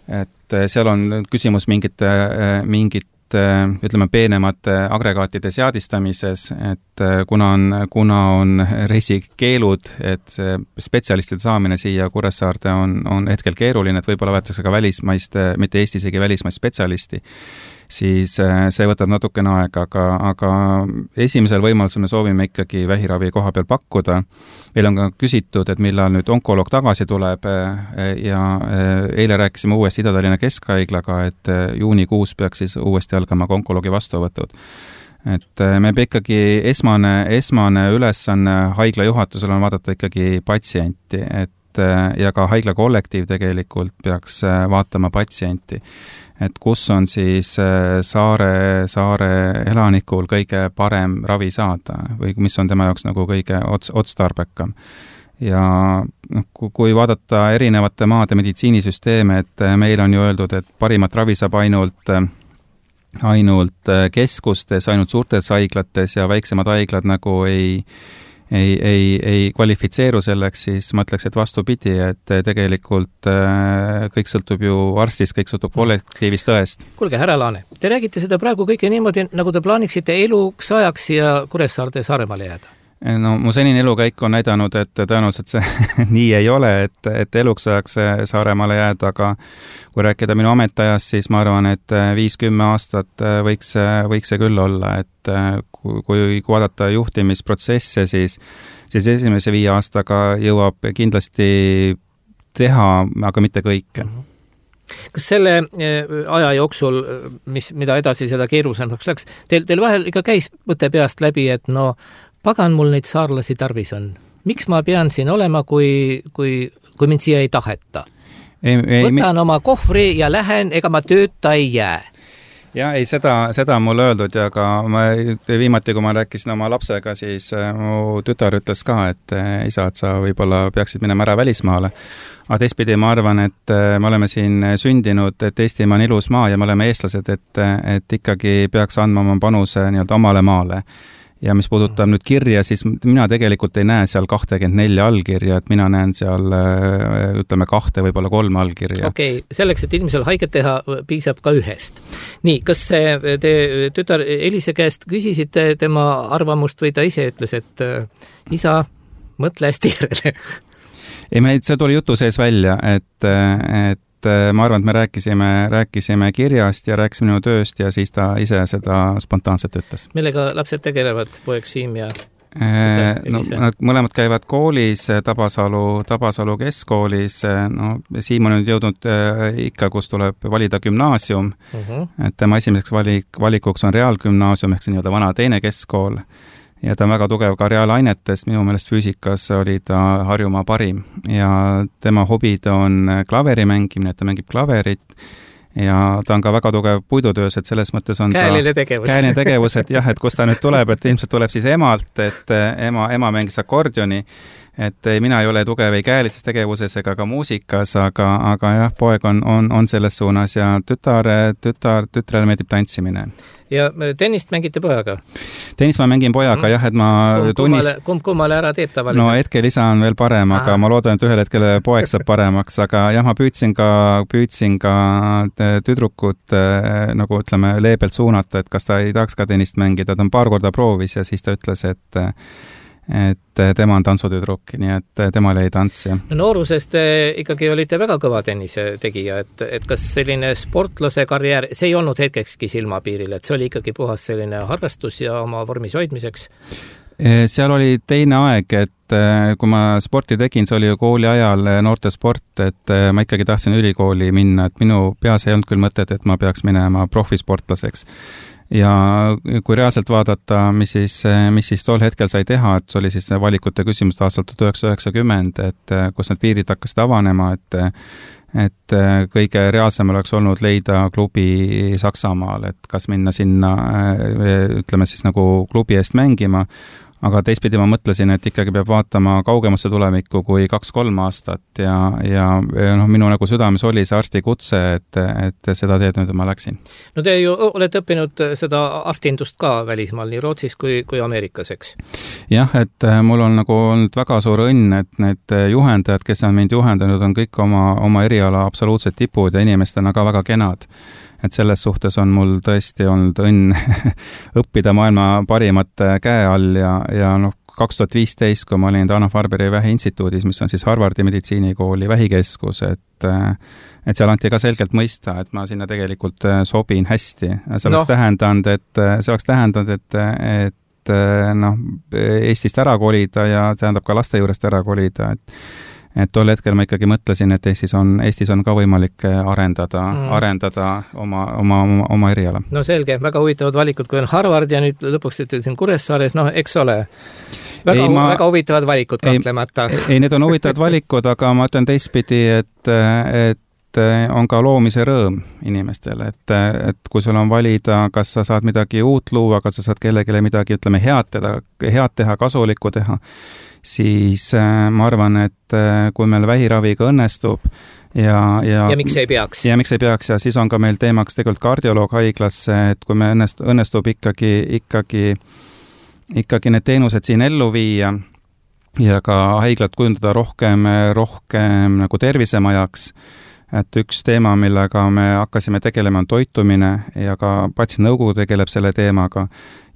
et äh, seal on küsimus mingite, äh, mingit ütleme, peenemate agregaatide seadistamises, et kuna on, kuna on reisikeelud, et see spetsialistide saamine siia Kuressaarde on, on hetkel keeruline, et võib-olla võetakse ka välismaist, mitte Eesti isegi välismaist spetsialisti, siis see võtab natukene aega, aga, aga esimesel võimalusel me soovime ikkagi vähiravi koha peal pakkuda. Meil on ka küsitud, et millal nüüd onkoloog tagasi tuleb ja eile rääkisime uuesti Ida-Tallinna Keskhaiglaga, et juunikuus peaks siis uuesti algama ka onkoloogi vastuvõtud. Et me ikkagi esmane, esmane ülesanne haigla juhatusel on vaadata ikkagi patsienti, et ja ka haigla kollektiiv tegelikult peaks vaatama patsienti. Et kus on siis saare, saare elanikul kõige parem ravi saada või mis on tema jaoks nagu kõige ots, otstarbekam. Ja kui vaadata erinevate maade meditsiinisüsteeme, et meil on ju öeldud, et parimat ravi saab ainult, ainult keskustes, ainult suurtes haiglates ja väiksemad haiglad nagu ei ei, ei, ei kvalifitseeru selleks, siis ma ütleks, et vastupidi, et tegelikult kõik sõltub ju arstist, kõik sõltub kollektiivist tõest. Kuulge, härra Laane, te räägite seda praegu kõike niimoodi, nagu te plaaniksite eluks ajaks ja Kuressaarde Saaremaale jääda? No mu senine elukäik on näidanud, et tõenäoliselt see nii ei ole, et, et eluks ajaks Saaremaale jääda, aga kui rääkida minu ametiajast, siis ma arvan, et viis-kümme aastat võiks, võiks see küll olla, et kui, kui vaadata juhtimisprotsesse, siis, siis esimese viie aastaga jõuab kindlasti teha, aga mitte kõike. Kas selle aja jooksul, mis, mida edasi seda keerulisemaks läks, teil, teil vahel ikka käis mõte peast läbi, et no pagan mul neid saarlasi tarvis on. Miks ma pean siin olema, kui, kui, kui mind siia ei taheta? Ei, ei, Võtan mi... oma kohvri ja lähen, ega ma tööta ei jää. Ja ei, seda, seda on mul öeldud ja ka ma, viimati, kui ma rääkisin oma lapsega, siis mu tütar ütles ka, et isa, et sa võib-olla peaksid minema ära välismaale. Aga teistpidi ma arvan, et me oleme siin sündinud, et Eestimaa on ilus maa ja me oleme eestlased, et, et ikkagi peaks andma oma panuse nii-öelda omale maale. Ja mis puudutab nüüd kirja, siis mina tegelikult ei näe seal kakskümmend neli allkirja, et mina näen seal, ütleme, kahte, võib-olla kolme allkirja. Okei, okay. Selleks, et inimesel haiget teha, piisab ka ühest. Nii, kas te tütar Elise käest küsisite tema arvamust või ta ise ütles, et isa, mõtle hästi järele? Ei, me, see tuli jutu sees välja, et, et ma arvan, et me rääkisime, rääkisime kirjast ja rääkisime minu tööst ja siis ta ise seda spontaanselt ütles. Millega lapsed tegelevad, poeg Siim ja no, mõlemad käivad koolis, Tabasalu, Tabasalu keskkoolis, no Siim on nüüd jõudnud ikka, kus tuleb valida gümnaasium, uh-huh. et tema esimeseks valik, valikuks on reaalgümnaasium, ehk see nii-öelda vana teine keskkool. Ja ta on väga tugev ka reaalainetest, minu meelest füüsikas oli ta Harjumaa parim ja tema hobid on klaveri mängimine, ta mängib klaverit ja ta on ka väga tugev puidutöös, et selles mõttes on käeline tegevus. Käeline tegevus, et jah, et kus ta nüüd tuleb, et ilmselt tuleb siis emalt, et ema, ema mängis akordioni, et mina ei ole tugev ei käelises tegevuses ega ka muusikas, aga, aga jah, poeg on, on, on selles suunas ja tütar, tütar, tütrele meeldib tantsimine. Ja tennist mängite pojaga? Tennist ma mängin pojaga, mm. jah, et ma kumb, tunnist... Kumb kummale ära teeb tavaliselt? No hetkel isa on veel parem, aga Aha. ma loodan, et ühel hetkel poeg saab paremaks, aga jah, ma püüdsin ka, püüdsin ka tüdrukut nagu ütleme leebelt suunata, et kas ta ei tahaks ka tennist mängida, ta on paar korda proovis ja siis ta ütles, et et tema on tantsutüdruk, nii et temal jäi tants. Ja. No noorusest ikkagi olite väga kõva tennise tegija, et, et kas selline sportlase karjäär, see ei olnud hetkekski silmapiiril, et see oli ikkagi puhas selline harrastus ja oma vormis hoidmiseks? Seal oli teine aeg, et kui ma sporti tegin, see oli ju kooli ajal noortesport, et ma ikkagi tahtsin ülikooli minna, et minu peas ei olnud küll mõtet, et ma peaks minema profisportlaseks. Ja kui reaalselt vaadata, mis siis, mis siis tol hetkel sai teha, et see oli siis valikute küsimus aastal tuhat üheksasada üheksakümmend, et kus need piirid hakkasid avanema, et et kõige reaalsem oleks olnud leida klubi Saksamaal, et kas minna sinna, ütleme siis nagu klubi eest mängima, aga teistpidi ma mõtlesin, et ikkagi peab vaatama kaugemasse tulevikku kui kaks-kolm aastat ja, ja noh, minu nagu südames oli see arstikutse, et, et seda teed nüüd ma läksin. No te ju olete õppinud seda arstindust ka välismaal, nii Rootsis kui, kui Ameerikas, eks? Jah, et mul on nagu olnud väga suur õnn, et need juhendajad, kes on mind juhendanud, on kõik oma, oma eriala absoluutsed tipud ja inimestena ka väga kenad. Et selles suhtes on mul tõesti olnud õnn õppida maailma parimate käe all ja, ja noh, kaks tuhat viisteist, kui ma olin Dana-Farberi vähiinstituudis, mis on siis Harvardi meditsiinikooli vähikeskus, et, et seal anti ka selgelt mõista, et ma sinna tegelikult sobin hästi. See oleks no. tähendanud, et see oleks tähendanud, et, et noh, Eestist ära kolida ja tähendab ka laste juurest ära kolida, et et tol hetkel ma ikkagi mõtlesin, et Eestis on, Eestis on ka võimalik arendada, mm. arendada oma, oma, oma, oma eriala. No selge, väga huvitavad valikud, kui on Harvard ja nüüd lõpuks ütlesin Kuressaares, noh, eks ole, väga, ei, ma, väga huvitavad valikud kahtlemata. Ei, ei, need on huvitavad valikud, aga ma ütlen teistpidi, et, et on ka loomise rõõm inimestele, et, et kui sul on valida, kas sa saad midagi uut luua, kas sa saad kellegile midagi, ütleme, head teha, head teha, kasulikku teha, siis ma arvan, et kui meil vähiraviga õnnestub ja, ja, ja miks ei peaks? Ja miks ei peaks ja siis on ka meil teemaks tegelikult kardioloog haiglasse, et kui me õnnest, õnnestub ikkagi, ikkagi, ikkagi need teenused siin ellu viia ja ka haiglat kujundada rohkem, rohkem nagu tervisemajaks, et üks teema, millega me hakkasime tegelema, on toitumine ja ka patsiendinõukogu tegeleb selle teemaga.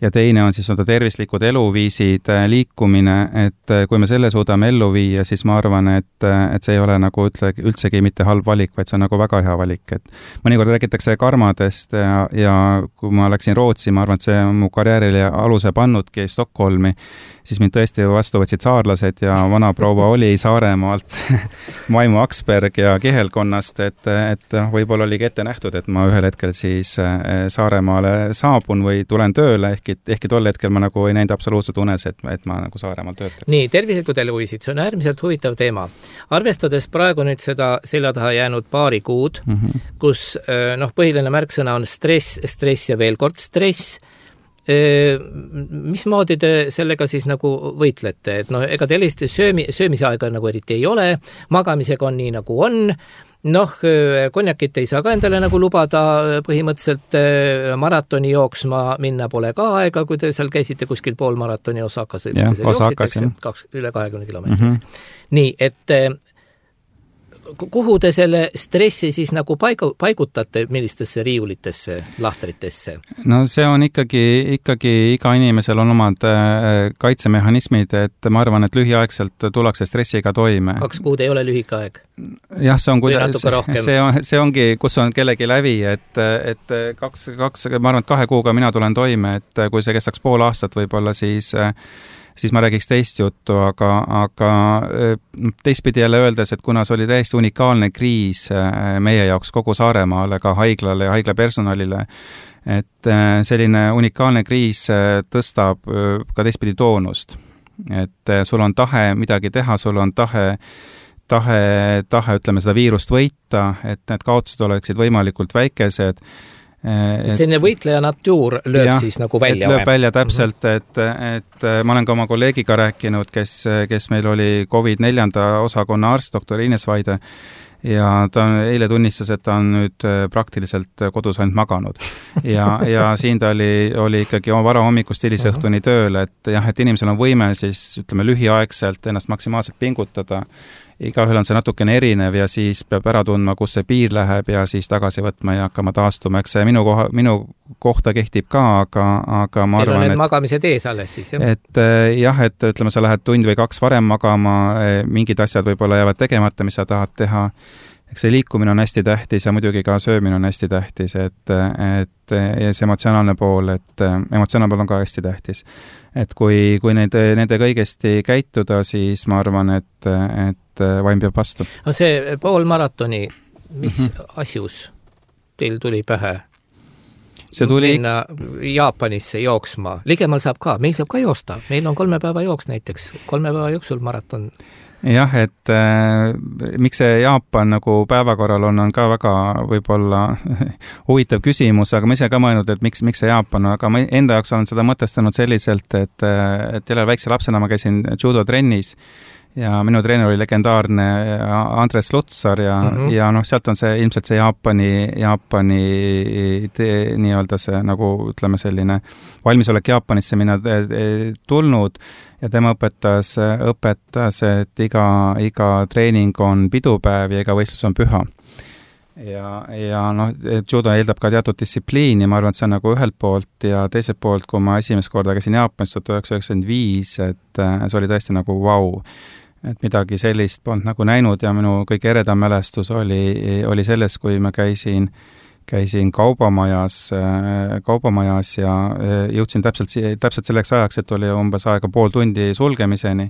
Ja teine on siis on tervislikud eluviisid, liikumine, et kui me selle suudame ellu viia, siis ma arvan, et, et see ei ole nagu ütle, üldsegi mitte halb valik, vaid see on nagu väga hea valik. Et mõnikord räägitakse karmadest ja, ja kui ma läksin Rootsi, ma arvan, et see on mu karjäärile aluse pannudki Stockholmi, siis mind tõesti vastu võtsid saarlased ja vana proua oli Saaremaalt, Maimu Aksberg ja Kihelkonnast, et, et võib-olla oligi ette nähtud, et ma ühel hetkel siis Saaremaale saabun või tulen tööle, ehk ehkki tol hetkel ma nagu ei näinud absoluutselt unes, et, et ma nagu Saaremaal töötaks. Nii, tervislikud eluviisid, see on äärmiselt huvitav teema. Arvestades praegu nüüd seda selja taha jäänud paari kuud, mm -hmm. kus noh, põhiline märksõna on stress, stress ja veel kord stress, mismoodi te sellega siis nagu võitlete? Et noh, ega teil söömi, söömise aega nagu eriti ei ole, magamisega on nii nagu on, noh, konjakit ei saa ka endale nagu lubada, põhimõtteliselt maratoni jooksma minna pole ka aega, kui te seal käisite kuskil pool maratoni Osakas, ja, Osakas, kaks, üle kahekümne kilomeetri. Mm -hmm. Nii, et kuhu te selle stressi siis nagu paigu, paigutate, millistesse riiulitesse, lahtritesse? No see on ikkagi, ikkagi iga inimesel on omad kaitsemehhanismid, et ma arvan, et lühiaegselt tullakse stressiga toime. Kaks kuud ei ole lühike aeg? Jah, see on, kuidas, see, on, see ongi, kus on kellegi lävi, et, et kaks, kaks, ma arvan, et kahe kuuga mina tulen toime, et kui see kestaks pool aastat võib-olla, siis siis ma räägiks teist juttu, aga, aga teistpidi jälle öeldes, et kuna see oli täiesti unikaalne kriis meie jaoks kogu Saaremaale, ka haiglale ja haigla personalile, et selline unikaalne kriis tõstab ka teistpidi toonust. Et sul on tahe midagi teha, sul on tahe tahe, tahe, ütleme, seda viirust võita, et need kaotused oleksid võimalikult väikesed. Et selline võitleja natuur lööb ja, siis nagu välja? Lööb välja täpselt, et, et ma olen ka oma kolleegiga rääkinud, kes, kes meil oli COVID neljanda osakonna arst, doktor Ines Vaide, ja ta eile tunnistas, et ta on nüüd praktiliselt kodus ainult maganud. Ja, ja siin ta oli, oli ikkagi oma vara hommikust hilisõhtuni tööl, et jah, et inimesel on võime siis, ütleme, lühiaegselt ennast maksimaalselt pingutada igaühel on see natukene erinev ja siis peab ära tundma, kus see piir läheb ja siis tagasi võtma ja hakkama taastuma. Eks see minu, koha, minu kohta kehtib ka, aga, aga ma Teil arvan, et... et... magamised ees alles siis, jah? Et jah, et ütleme, sa lähed tund või kaks varem magama, mingid asjad võib-olla jäävad tegemata, mis sa tahad teha. Eks see liikumine on hästi tähtis ja muidugi ka söömine on hästi tähtis, et, et ja see emotsionaalne pool, et emotsionaalne pool on ka hästi tähtis. Et kui, kui nende, nende kõigesti käituda, siis ma arvan, et, et vaim peab vastu. No see pool maratoni, mis mm-hmm. asjus teil tuli pähe? See tuli... Minna Jaapanisse jooksma. Ligemal saab ka, meil saab ka joosta. Meil on kolme päeva jooks näiteks, kolme päeva jooksul maraton. Jah, et äh, miks see Jaapan nagu päevakorral on, on ka väga võib-olla huvitav küsimus, aga ma ise ka mõelnud, et miks, miks see Jaapan, aga ma enda jaoks olen seda mõtestanud selliselt, et, et jälle väikse lapsena ma käisin judo trennis ja minu treener oli legendaarne Andres Lutsar ja, mm-hmm. ja noh, sealt on see ilmselt see Jaapani, Jaapani tee, nii-öelda see nagu ütleme selline valmisolek Jaapanisse minna tulnud ja tema õpetas, õpetas, et iga, iga treening on pidupäev ja iga võistlus on püha. Ja, ja noh, judo eeldab ka teatud distsipliini, ma arvan, et see on nagu ühelt poolt ja teiselt poolt, kui ma esimest korda käisin Jaapanis tuhat üheksasada üheksakümmend viis, et see oli tõesti nagu vau. Et midagi sellist polnud nagu näinud ja minu kõige eredam mälestus oli, oli selles, kui ma käisin käisin kaubamajas, kaubamajas ja jõudsin täpselt, täpselt selleks ajaks, et oli umbes aega pool tundi sulgemiseni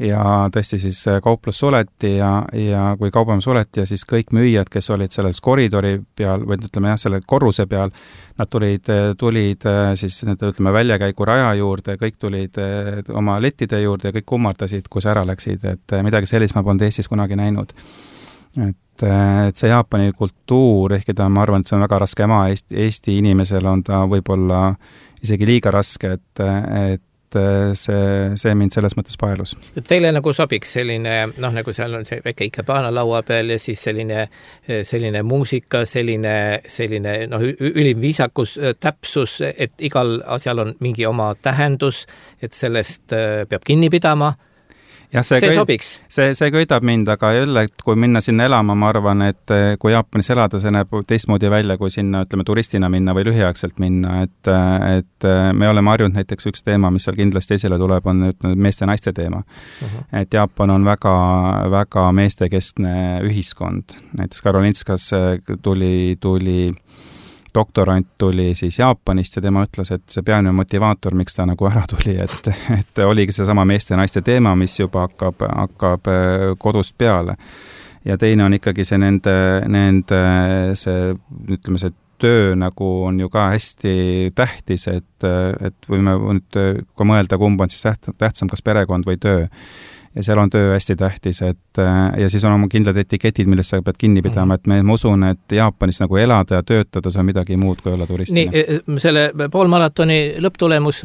ja tõesti siis kauplus suleti ja, ja kui kaubamaja suleti ja siis kõik müüjad, kes olid selles koridori peal või ütleme jah, selle korruse peal, nad tulid, tulid siis nende ütleme väljakäigu raja juurde, kõik tulid oma lettide juurde ja kõik kummardasid, kus ära läksid, et midagi sellist ma polnud Eestis kunagi näinud. Et et see Jaapani kultuur, ehkki ta, ma arvan, et see on väga raske ema, Eesti, Eesti inimesel on ta võib-olla isegi liiga raske, et, et see, see mind selles mõttes paelus. Teile nagu sobiks selline, noh, nagu seal on see väike ikebana laua peal ja siis selline, selline muusika, selline, selline noh, ülim viisakus, täpsus, et igal asjal on mingi oma tähendus, et sellest peab kinni pidama. Ja see, see sobiks. See, see köidab mind, aga jälle, kui minna sinna elama, ma arvan, et kui Jaapanis elada, see näeb teistmoodi välja, kui sinna, ütleme, turistina minna või lühiaegselt minna, et, et me oleme harjunud näiteks üks teema, mis seal kindlasti esile tuleb, on ütleme, meeste ja naiste teema. Uh-huh. Et Jaapan on väga, väga meestekeskne ühiskond. Näiteks Karolinskas tuli, tuli doktorant tuli siis Jaapanist ja tema ütles, et see peamine motivaator, miks ta nagu ära tuli, et, et oligi see sama meeste ja naiste teema, mis juba hakkab, hakkab kodust peale. Ja teine on ikkagi see nende, nende see, ütleme, see töö nagu on ju ka hästi tähtis, et, et võime nüüd, kui mõelda, kumb on siis tähtsam, kas perekond või töö. Ja seal on töö hästi tähtis, et ja siis on oma kindlad etiketid, millest sa pead kinni pidama, et me, ma usun, et Jaapanis nagu elada ja töötada, see on midagi muud kui olla turistina. Nii, selle poolmaratoni lõpptulemus,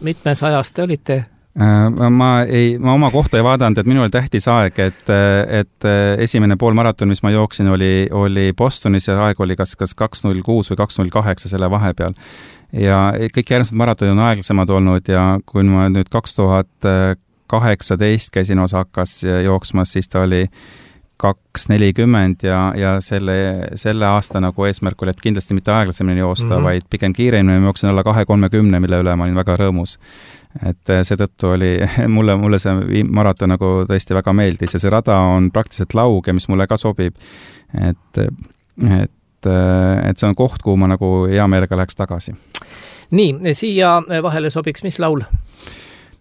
mitmes ajast te olite? Ma, ei, ma oma kohta ei vaadanud, et minul oli tähtis aeg, et, et esimene poolmaraton, mis ma jooksin, oli, oli Bostonis ja aeg oli kas, kas kaks null kuus või kaks null kaheksa selle vahepeal. Ja kõik järgmised maratonid on aeglasemad olnud ja kui ma nüüd kaks tuhat kaheksateist käisin Osakas jooksmas, siis ta oli kaks nelikümmend ja, ja selle, selle aasta nagu eesmärk oli, et kindlasti mitte aeglasemini joosta, mm-hmm. vaid pigem kiiremini, ma jooksin alla kahe kolmekümne, mille üle ma olin väga rõõmus. Et seetõttu oli mulle, mulle see maraton nagu tõesti väga meeldis ja see rada on praktiliselt lauge, mis mulle ka sobib. Et, et, et see on koht, kuhu ma nagu hea meelega läheks tagasi. Nii, siia vahele sobiks mis laul?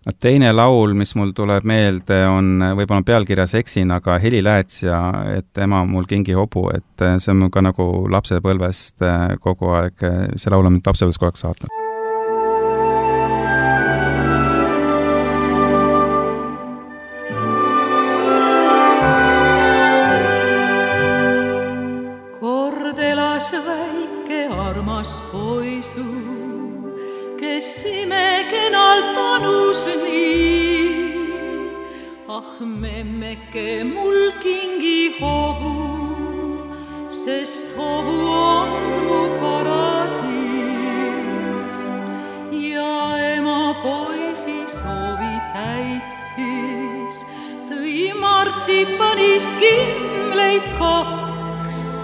No, teine laul, mis mul tuleb meelde, on võib-olla pealkirjas eksin, aga Heli Lääts ja et ema mul kingi hobu, et see on mul ka nagu lapsepõlvest kogu aeg, see laul on mind lapsepõlvest kogu aeg saatnud. Kord elas väike armas poisu, kes imekenalt anus nii. Ah, memmeke mul kingi hobu, sest hobu on mu paradiis. Ja ema poisi soovi täitis, tõi marts martsipanist kimleid kaks.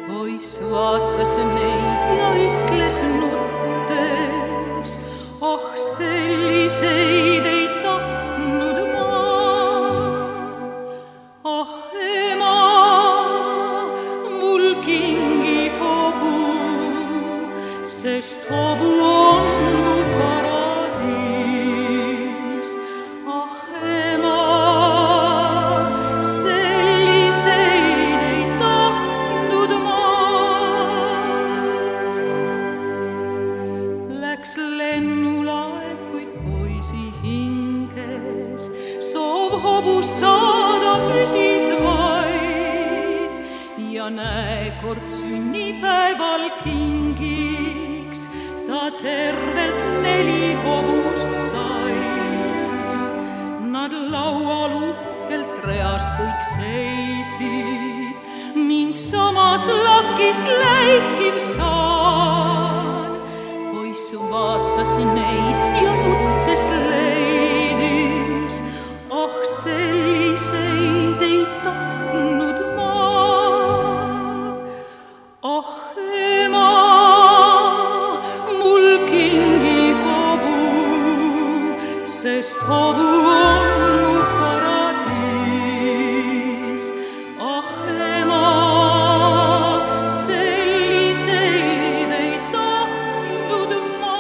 Poiss vaatas neid ja ütles nuttes, ah selliseid ei tahtnud ma. Ah ema, mul kingi hobu, sest hobu on mu paradiis. Ah ema, selliseid ei tahtnud ma. Läks lennulaev, kuid poisi hinges soov hobust saada püsis vaid. Ja näe, kord sünnipäeval kingiks ta tervelt neli hobust sai. Nad laual uhkelt reas kõik seisid ning samas lakist läikiv saan. Poiss vaatas neid ja nuttes leidis, ah selliseid ei tahtnud ma. Ah ema, mul kingi hobu, sest hobu on mu paradiis. Ah ema, selliseid ei tahtnud ma.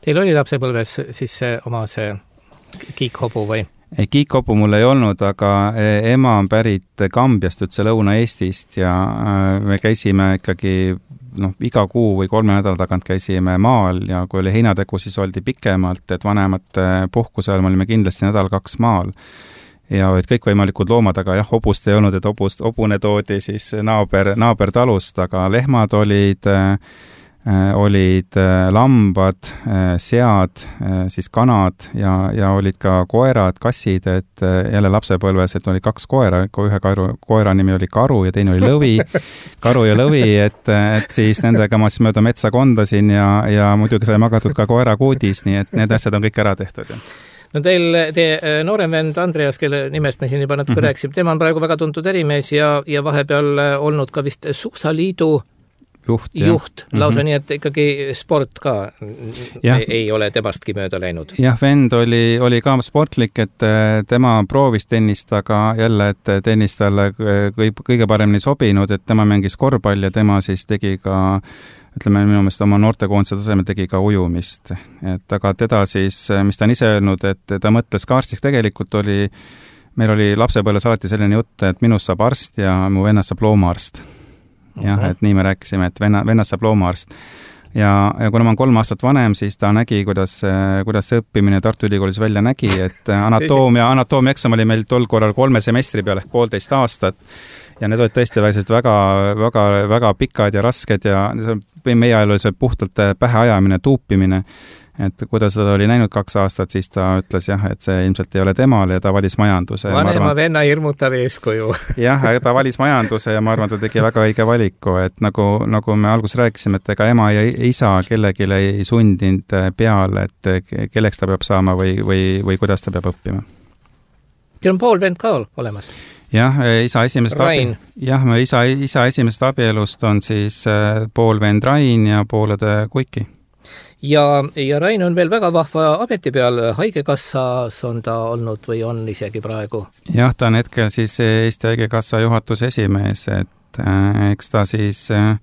Teil oli lapsepõlves siis see oma see kiikhobu või? Ei, kiikhobu mul ei olnud, aga ema on pärit Kambiast, üldse Lõuna-Eestist ja me käisime ikkagi noh, iga kuu või kolme nädala tagant käisime maal ja kui oli heinategu, siis oldi pikemalt, et vanemate puhkuse ajal me olime kindlasti nädal kaks maal. Ja olid kõikvõimalikud loomad, aga jah, hobust ei olnud, et hobust, hobune toodi siis naaber, naaber talust, aga lehmad olid olid lambad, sead, siis kanad ja, ja olid ka koerad, kassid, et jälle lapsepõlves, et oli kaks koera, ühe karu, koera nimi oli Karu ja teine oli Lõvi, Karu ja Lõvi, et, et siis nendega ma siis mööda metsa kondasin ja, ja muidugi sai magatud ka koera kuudis, nii et need asjad on kõik ära tehtud. No teil, teie noorem vend Andreas, kelle nimest me siin juba natuke mm-hmm. rääkisime, tema on praegu väga tuntud ärimees ja, ja vahepeal olnud ka vist Suusaliidu juht, juht lausa mm-hmm. nii, et ikkagi sport ka ei, ei ole temastki mööda läinud. Jah, vend oli, oli ka sportlik, et tema proovis tennist, aga jälle, et tennis talle kõige paremini sobinud, et tema mängis korvpalli ja tema siis tegi ka ütleme, minu meelest oma noortekoondise tasemel tegi ka ujumist. Et aga teda siis, mis ta on ise öelnud, et ta mõtles ka arstiks, tegelikult oli, meil oli lapsepõlves alati selline jutt, et minust saab arst ja mu vennast saab loomaarst. Jah, uh-huh. et nii me rääkisime, et venna, vennast saab loomaarst. Ja, ja kuna ma on kolm aastat vanem, siis ta nägi, kuidas, kuidas see õppimine Tartu Ülikoolis välja nägi, et anatoomia, anatoomia eksam oli meil tol korral kolme semestri peal ehk poolteist aastat. Ja need olid tõesti väga, väga, väga pikad ja rasked ja meie ajal oli see puhtalt pähe ajamine, tuupimine. Et kui ta seda oli näinud kaks aastat, siis ta ütles jah, et see ilmselt ei ole temal ja ta valis majanduse. Vanema arvan, venna hirmutav eeskuju. jah, ta valis majanduse ja ma arvan, ta tegi väga õige valiku, et nagu, nagu me alguses rääkisime, et ega ema ja isa kellelegi ei sundinud peale, et kelleks ta peab saama või, või, või kuidas ta peab õppima. Teil on pool vend ka olemas? Jah, isa esimesest Rain. Abi... jah, isa, isa esimesest abielust on siis pool vend Rain ja poolede Kuiki. Ja, ja Rain on veel väga vahva ameti peal, Haigekassas on ta olnud või on isegi praegu? Jah, ta on hetkel siis Eesti Haigekassa juhatuse esimees, et äh, eks ta siis äh,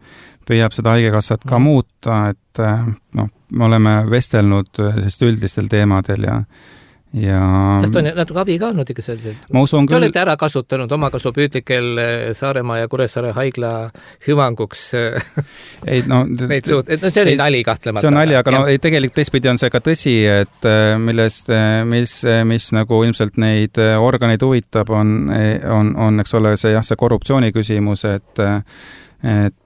püüab seda Haigekassat ka muuta, et äh, noh, me oleme vestelnud sest üldistel teemadel ja ja Tast on natuke abi ka olnud ikka selliselt. Ma usun küll. Te olete ära kasutanud omakasupüüdlikel Saaremaa ja Kuressaare haigla hüvanguks ei, no, neid suht, et no see oli nali kahtlemata. See on nali, aga no, ei, tegelikult teistpidi on see ka tõsi, et millest, mis, mis nagu ilmselt neid organeid huvitab, on, on, on eks ole see, jah, see korruptsiooni küsimus, et, et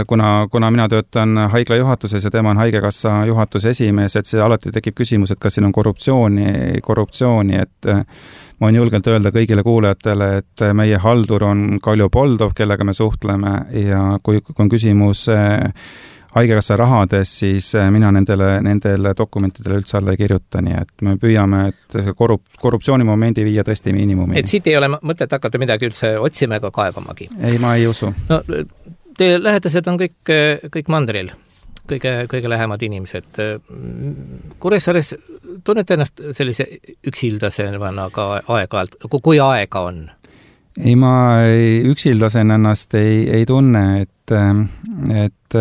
kuna, kuna mina töötan haigla juhatuses ja tema on Haigekassa juhatuse esimees, et see alati tekib küsimus, et kas siin on korruptsiooni, korruptsiooni, et ma võin julgelt öelda kõigile kuulajatele, et meie haldur on Kalju Poldov, kellega me suhtleme ja kui, kui on küsimus haigekassa rahades, siis mina nendele, nendele dokumentidele üldse alla ei kirjuta, nii et me püüame, et see korrup- korruptsioonimomendi viia tõesti miinimumi. Et siit ei ole mõtet hakata midagi üldse otsima ega kaevamagi? Ei, ma ei usu. No, teie lähedased on kõik, kõik mandril, kõige, kõige lähemad inimesed. Kuressaares tunnete ennast sellise üksildasena ka aeg-ajalt, kui aega on? Ei, ma ei, üksildasen ennast ei, ei tunne, et, et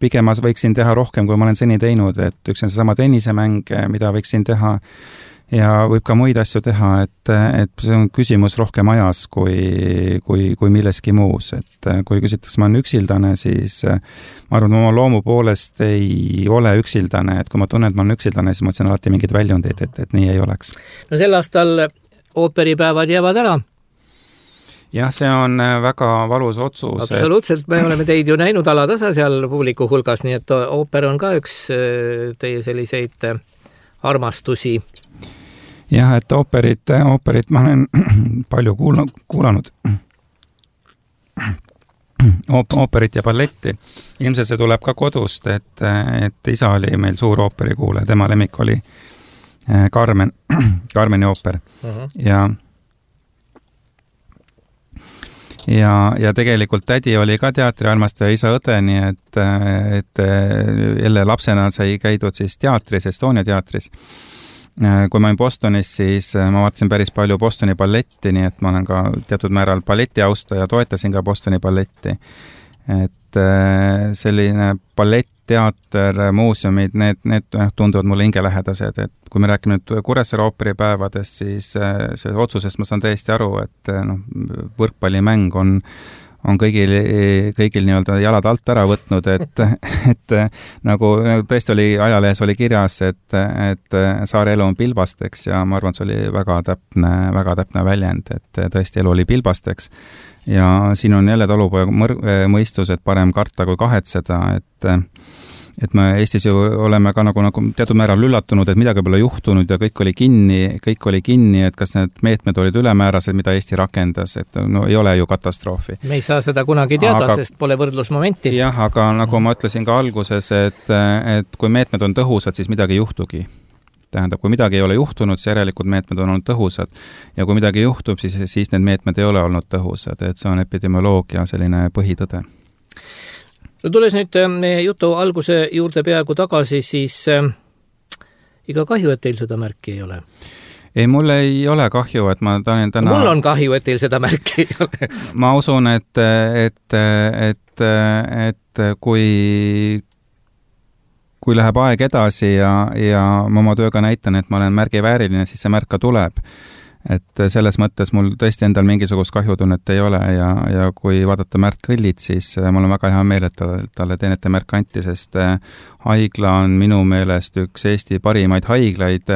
pigem ma võiksin teha rohkem, kui ma olen seni teinud, et üks on seesama tennisemäng, mida võiksin teha ja võib ka muid asju teha, et, et see on küsimus rohkem ajas kui, kui, kui milleski muus, et kui küsitakse, ma olen üksildane, siis ma arvan, et oma loomu poolest ei ole üksildane, et kui ma tunnen, et ma olen üksildane, siis ma otsin alati mingid väljundid, et, et nii ei oleks. No sel aastal ooperipäevad jäävad ära. Jah, see on väga valus otsus. Absoluutselt, me oleme teid ju näinud alatasa seal publiku hulgas, nii et ooper on ka üks teie selliseid armastusi. Jah, et ooperit, ooperit ma olen palju kuulanud, kuulanud. Ooperit ja balletti. Ilmselt see tuleb ka kodust, et, et isa oli meil suur ooperikuule, tema lemmik oli Carmen, Carmeni ooper. Uh-huh. Ja Ja, ja tegelikult tädi oli ka teatriarmastaja, isa õde, nii et, et jälle lapsena sai käidud siis teatris, Estonia teatris. Kui ma olin Bostonis, siis ma vaatasin päris palju Bostoni balletti, nii et ma olen ka teatud määral balleti austaja, toetasin ka Bostoni balletti. Et selline ballett, teater, muuseumid, need, need tunduvad mulle hingelähedased, et kui me räägime nüüd Kuressaare ooperipäevadest, siis see otsusest ma saan täiesti aru, et no, võrkpallimäng on, on kõigil, kõigil nii-öelda jalad alt ära võtnud, et, et nagu tõesti oli, ajalehes oli kirjas, et, et saare elu on pilbasteks ja ma arvan, et see oli väga täpne, väga täpne väljend, et tõesti elu oli pilbasteks. Ja siin on jälle talupoja mõistus, et parem karta kui kahetseda, et et me Eestis ju oleme ka nagu, nagu teatud määral üllatunud, et midagi pole juhtunud ja kõik oli kinni, kõik oli kinni, et kas need meetmed olid ülemäärased, mida Eesti rakendas, et no ei ole ju katastroofi. Me ei saa seda kunagi teada, aga, sest pole võrdlusmomenti. Jah, aga nagu ma ütlesin ka alguses, et, et kui meetmed on tõhusad, siis midagi ei juhtugi. Tähendab, kui midagi ei ole juhtunud, siis järelikult meetmed on olnud tõhusad. Ja kui midagi juhtub, siis, siis need meetmed ei ole olnud tõhusad, et see on epidemioloogia selline põhitõde. No tulles nüüd meie jutu alguse juurde peaaegu tagasi, siis äh, iga kahju, et teil seda märki ei ole? Ei, mul ei ole kahju, et ma täna... Mul on kahju, et teil seda märki ei ole. Ma usun, et, et, et, et kui, kui läheb aeg edasi ja, ja ma oma tööga näitan, et ma olen märgi vääriline, siis see märk ka tuleb. Et selles mõttes mul tõesti endal mingisugust kahjutunnet ei ole ja, ja kui vaadata Märt Kõllit, siis mul on väga hea meel, et talle teenete märk anti, sest haigla on minu meelest üks Eesti parimaid haiglaid.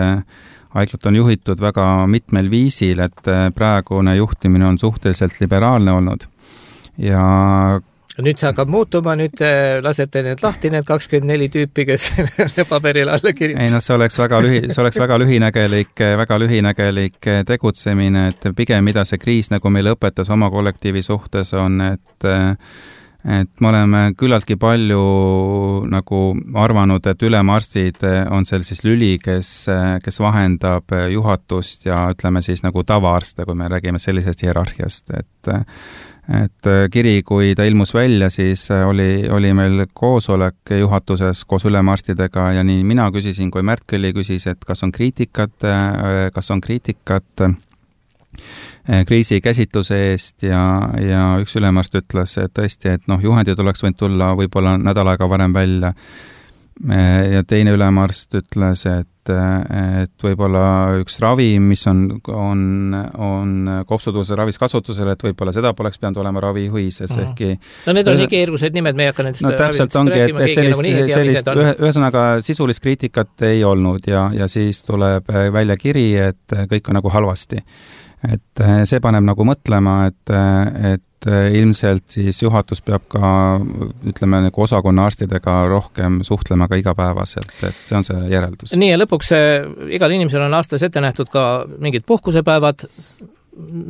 Haiglat on juhitud väga mitmel viisil, et praegune juhtimine on suhteliselt liberaalne olnud. Ja nüüd see hakkab muutuma, nüüd lasete need lahti, need kakskümmend neli tüüpi, kes paberil alla kirjutas. Ei, no see oleks väga lühi, see oleks väga lühinägelik, väga lühinägelik tegutsemine, et pigem mida see kriis nagu meile õpetas oma kollektiivi suhtes on, et et me oleme küllaltki palju nagu arvanud, et ülemarstid on seal siis lüli, kes, kes vahendab juhatust ja ütleme siis nagu tavaarste, kui me räägime sellisest hierarhiast, et et kiri, kui ta ilmus välja, siis oli, oli meil koosolek juhatuses koos ülemarstidega ja nii mina küsisin, kui Märt Kõlli küsis, et kas on kriitikat, kas on kriitikat kriisi käsitluse eest ja, ja üks ülemarst ütles, et tõesti, et noh, juhendid oleks võinud tulla võib-olla nädal aega varem välja. Ja teine ülemarst ütles, et, et võib-olla üks ravi, mis on, on, on kopsutuse ravis kasutusel, et võib-olla seda poleks pidanud olema ravijuhises, mm. ehkki... No need on nii keerused nimed, me ei hakka nendest no, täpselt ongi, rääkima, et, et sellist, sellist ühe, ühesõnaga sisulist kriitikat ei olnud ja, ja siis tuleb välja kiri, et kõik on nagu halvasti. Et see paneb nagu mõtlema, et, et ilmselt siis juhatus peab ka, ütleme, nagu osakonna arstidega rohkem suhtlema ka igapäevaselt, et see on see järeldus. Nii ja lõpuks igal inimesel on aastas ette nähtud ka mingid puhkusepäevad.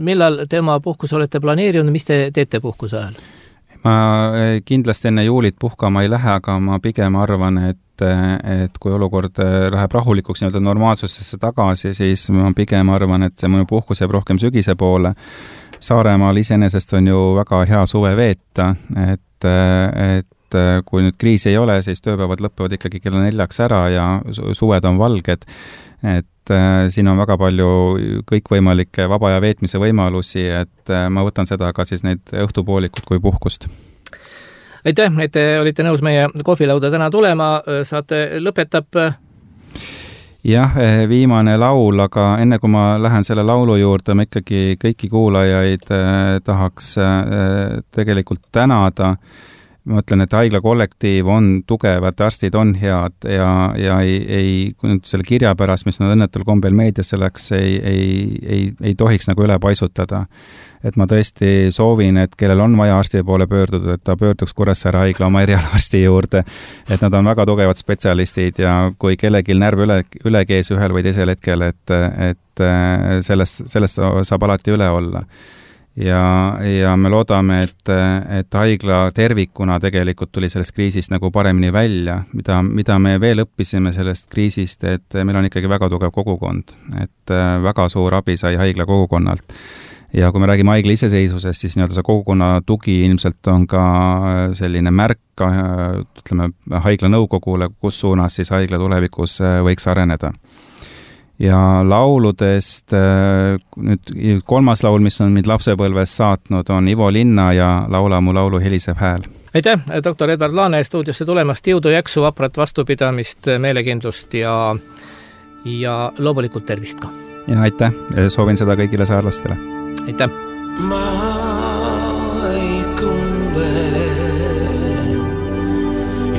Millal tema puhkus olete planeerinud, mis te teete puhkuse ajal? ma kindlasti enne juulit puhkama ei lähe, aga ma pigem arvan, et, et kui olukord läheb rahulikuks nii-öelda normaalsusesse tagasi, siis ma pigem arvan, et see mõju puhkus jääb rohkem sügise poole. Saaremaal iseenesest on ju väga hea suve veeta, et, et kui nüüd kriisi ei ole, siis tööpäevad lõpevad ikkagi kella neljaks ära ja suved on valged, et äh, siin on väga palju kõikvõimalikke vaba aja veetmise võimalusi, et äh, ma võtan seda ka siis neid õhtupoolikut kui puhkust. Aitäh, et te olite nõus meie kohvilauda täna tulema, saate lõpetab jah, viimane laul, aga enne kui ma lähen selle laulu juurde, ma ikkagi kõiki kuulajaid eh, tahaks eh, tegelikult tänada. Ma mõtlen, et haigla kollektiiv on tugevad, arstid on head ja, ja ei, ei, kui nüüd selle kirja pärast, mis nad õnnetul kombel meediasse läks, ei, ei, ei, ei tohiks nagu üle paisutada. Et ma tõesti soovin, et kellel on vaja arsti poole pöörduda, et ta pöörduks Kuressaare haigla oma erialarsti juurde, et nad on väga tugevad spetsialistid ja kui kellelgi närv üle, üle kees ühel või teisel hetkel, et, et sellest, sellest saab alati üle olla. Ja, ja me loodame, et, et haigla tervikuna tegelikult tuli sellest kriisist nagu paremini välja, mida, mida me veel õppisime sellest kriisist, et meil on ikkagi väga tugev kogukond, et väga suur abi sai haigla kogukonnalt. Ja kui me räägime haigla iseseisvusest, siis nii-öelda see kogukonna tugi ilmselt on ka selline märk, ütleme, haigla nõukogule, kus suunas siis haigla tulevikus võiks areneda. Ja lauludest, nüüd kolmas laul, mis on mind lapsepõlves saatnud, on Ivo Linna ja Laula mu laulu helisev hääl. Aitäh, doktor Edvard Laane stuudiosse tulemast, jõudu, jaksu, vaprat vastupidamist, meelekindlust ja, ja loomulikult tervist ka. Ja aitäh, soovin seda kõigile saarlastele. Aitäh. Ma ei kumbe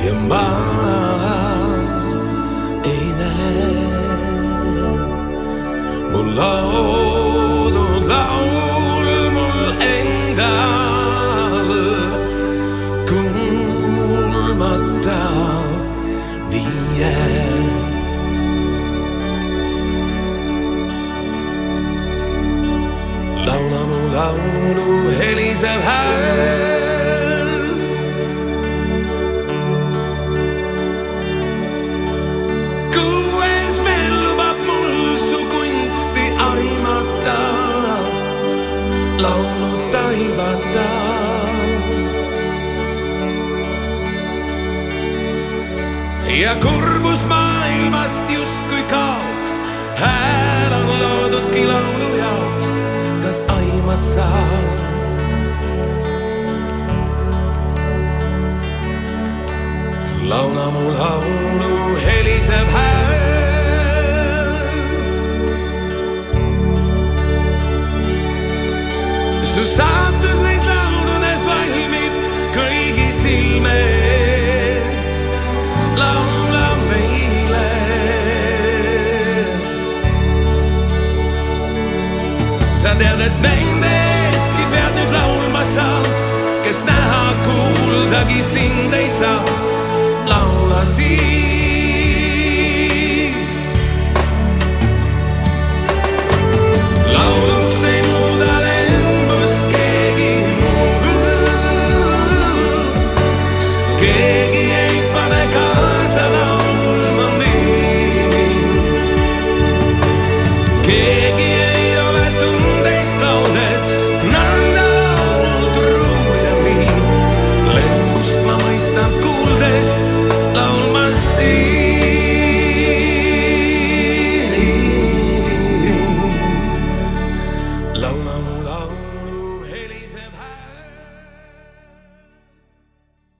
ja ma ei näe mul laulud laul mul endal kuulmata nii laula mu laulu helisev hääl. Kuues meil lubab mul su kunsti aimata, laulu taibata. Ja kurbus maailmast justkui kaoks, hääl on loodudki laulu jaoks. Kas aimad sa? Laula mu laulu helisev hääl. Su saatus neis lauludes valmib kõigi silmes. Laula meile. Sa tead, et meile Eesti pead nüüd laulma saa, kes näha kuuldagi sind ei saa. Laula siin.